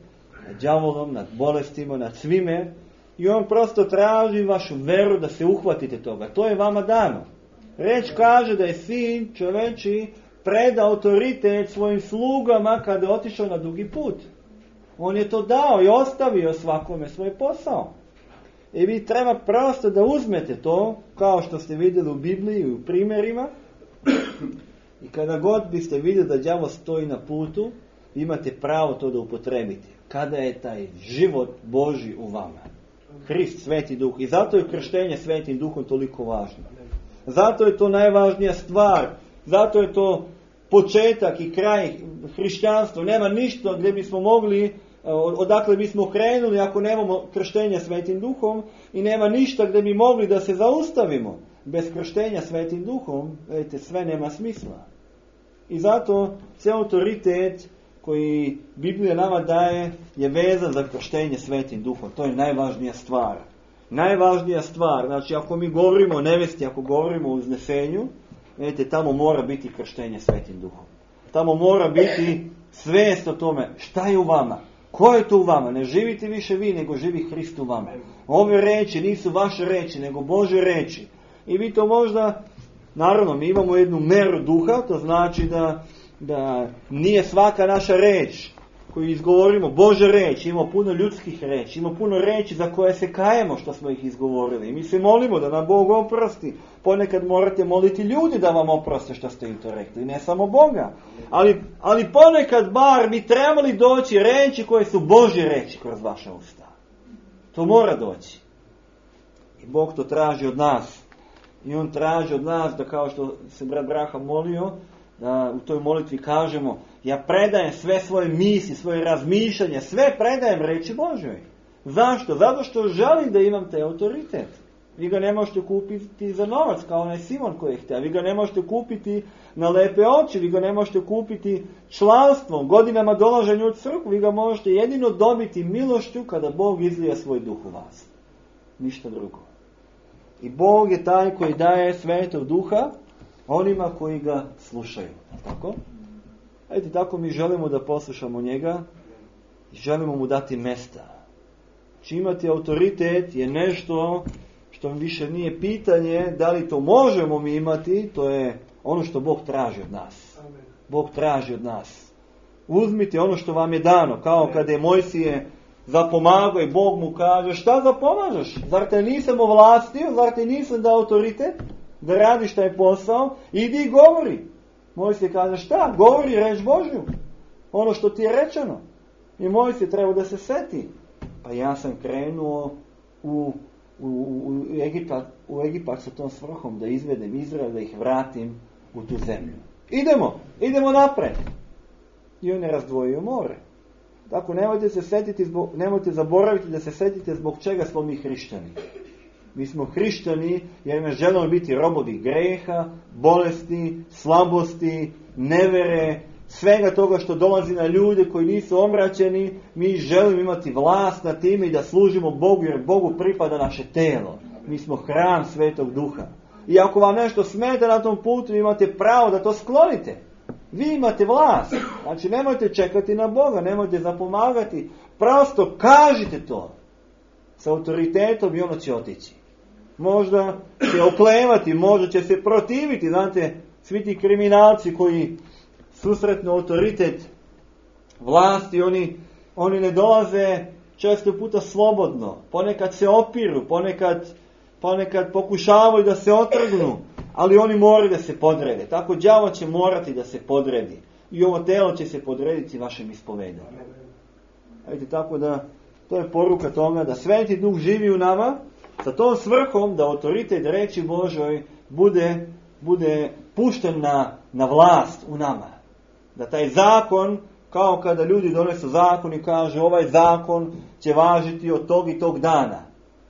nad đavolom, nad bolestima, nad svime. I on prosto traži vašu veru da se uhvatite toga. To je vama dano. Reč kaže da je sin čoveči preda autoritet svojim slugama kada je otišao na dugi put. On je to dao i ostavio svakome svoj posao. I vi treba prosto da uzmete to, kao što ste vidjeli u Bibliji i u primjerima. I kada god biste vidjeli da đavo stoji na putu, imate pravo to da upotrebite. Kada je taj život Božji u vama. Hrist, Sveti Duh. I zato je krštenje Svetim Duhom toliko važno. Zato je to najvažnija stvar. Zato je to početak i kraj hrišćanstva. Nema ništa gdje bismo mogli, odakle bismo krenuli ako nemamo krštenja Svetim Duhom, i nema ništa gdje bi mogli da se zaustavimo. Bez krštenja Svetim Duhom, vidite, sve nema smisla. I zato cijel autoritet koji Biblija nama daje je vezan za krštenje Svetim Duhom. To je najvažnija stvar. Najvažnija stvar, znači ako mi govorimo o nevesti, ako govorimo o uznesenju, vidite, tamo mora biti krštenje Svetim Duhom. Tamo mora biti svijest o tome šta je u vama. Ko je to u vama? Ne živite više vi, nego živi Hrist u vama. Ove reči nisu vaše reči, nego Božje reči. I vi to možda, naravno, mi imamo jednu meru duha, to znači da nije svaka naša reč koju izgovorimo Božja reč. Ima puno ljudskih reči, ima puno reči za koje se kajemo što smo ih izgovorili. I mi se molimo da nam Bog oprosti. Ponekad morate moliti ljudi da vam oproste što ste im to rekli, ne samo Boga. Ali ponekad bar bi trebali doći reči koje su Božje reči kroz vaša usta. To mora doći. I Bog to traži od nas. I on traži od nas da, kao što se brat Braha molio, da u toj molitvi kažemo: ja predajem sve svoje misli, svoje razmišljanje, sve predajem reči Božjoj. Zašto? Zato što želim da imam taj autoritet. Vi ga ne možete kupiti za novac, kao onaj Simon koji je htio. Vi ga ne možete kupiti na lepe oči, vi ga ne možete kupiti članstvom, godinama dolaženja u crkvu. Vi ga možete jedino dobiti milošću kada Bog izlija svoj duh u vas. Ništa drugo. I Bog je taj koji daje Svetog Duha onima koji ga slušaju. Tako? Ajde, tako mi želimo da poslušamo njega i želimo mu dati mesta. Či imati autoritet je nešto što više nije pitanje da li to možemo mi imati, to je ono što Bog traži od nas. Bog traži od nas. Uzmite ono što vam je dano, kao kada je Mojsije zapomagao i Bog mu kaže: šta zapomažeš? Zar te nisam ovlastio? Zar te nisam dao autoritet da radiš taj posao? Idi i govori. Mojsije kaže šta? Govori reč Božju. Ono što ti je rečeno. I Mojsije treba da se seti. Pa ja sam krenuo u Egipat sa tom svrhom da izvedem Izrael, da ih vratim u tu zemlju. Idemo napred. I on je razdvojio more. Tako nemojte zaboraviti da se setite zbog čega smo mi hrišćani. Mi smo hrišćani jer ne želimo biti robovi greha, bolesti, slabosti, nevere, svega toga što dolazi na ljude koji nisu omračeni. Mi želimo imati vlast nad time i da služimo Bogu, jer Bogu pripada naše telo. Mi smo hram Svetog Duha. I ako vam nešto smeta na tom putu, imate pravo da to sklonite. Vi imate vlast. Znači nemojte čekati na Boga, nemojte zapomagati. Prosto kažite to. Sa autoritetom i ono će otići. Možda će oklevati, možda će se protiviti. Znate, svi ti kriminalci koji susretnu autoritet vlasti, oni ne dolaze često puta slobodno. Ponekad se opiru, ponekad pokušavaju da se otrgnu, ali oni moraju da se podrede. Tako đavo će morati da se podredi. I ovo telo će se podrediti vašem ispovedanju. Vidite, tako da to je poruka toga da Sveti Duh živi u nama sa tom svrhom da autoritet reči Božoj bude pušten na vlast u nama. Da taj zakon, kao kada ljudi donesu zakon i kažu ovaj zakon će važiti od tog i tog dana.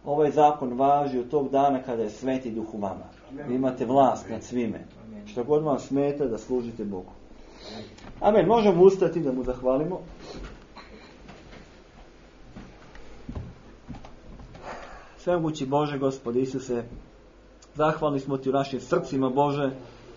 Ovaj zakon važi od tog dana kada je Sveti Duh u vama. Vi imate vlast nad svime. Što god vam smeta da služite Bogu. Amen. Možemo ustati da mu zahvalimo. Svemogući Bože, Gospode Isuse, zahvalni smo Ti u našim srcima, Bože,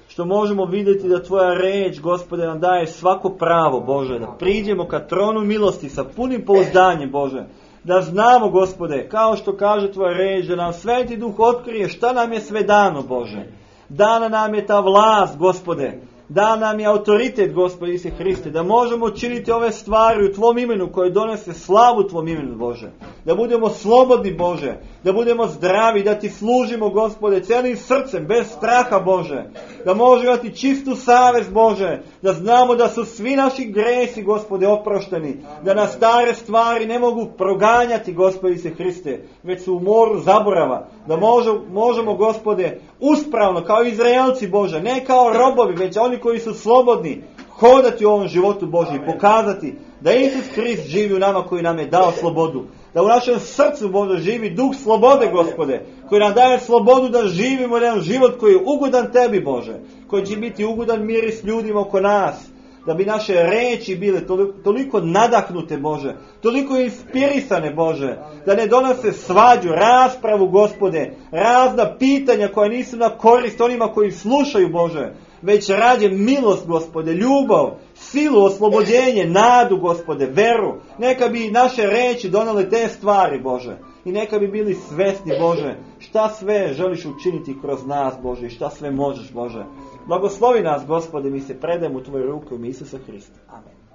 što možemo vidjeti da Tvoja reč, Gospode, nam daje svako pravo, Bože, da priđemo ka tronu milosti sa punim pouzdanjem, Bože, da znamo, Gospode, kao što kaže Tvoja reč, da nam Sveti Duh otkrije šta nam je sve dano, Bože. Dana nam je ta vlast, Gospode, da nam je autoritet, Gospode Isuse Hriste, da možemo činiti ove stvari u Tvom imenu koje donese slavu Tvom imenu, Bože. Da budemo slobodni, Bože, da budemo zdravi, da Ti služimo, Gospode, celim srcem, bez straha, Bože. Da možemo imati čistu savest, Bože, da znamo da su svi naši gresi, Gospode, oprošteni, da nas stare stvari ne mogu proganjati, Gospode Isuse Hriste, već su u moru zaborava, da možemo, Gospode, uspravno, kao Izraelci, Bože, ne kao robovi, već oni koji su slobodni, hodati u ovom životu Božji i pokazati da Isus Hrist živi u nama koji nam je dao slobodu. Da u našem srcu, Bože, živi duh slobode, Gospode, koji nam daje slobodu da živimo jedan život koji je ugodan Tebi, Bože, koji će biti ugodan miris ljudima oko nas. Da bi naše reči bile toliko nadahnute, Bože, toliko inspirisane, Bože, da ne donose svađu, raspravu, Gospode, razna pitanja koja nisu na korist onima koji slušaju, Bože, već rađe milost, Gospode, ljubav, silu, oslobođenje, nadu, Gospode, veru. Neka bi naše reči donale te stvari, Bože, i neka bi bili svesni, Bože, šta sve želiš učiniti kroz nas, Bože, i šta sve možeš, Bože. Blagoslovi nas, Gospode, mi se predajemo u Tvoje ruke u ime Isusa Hrista. Amen.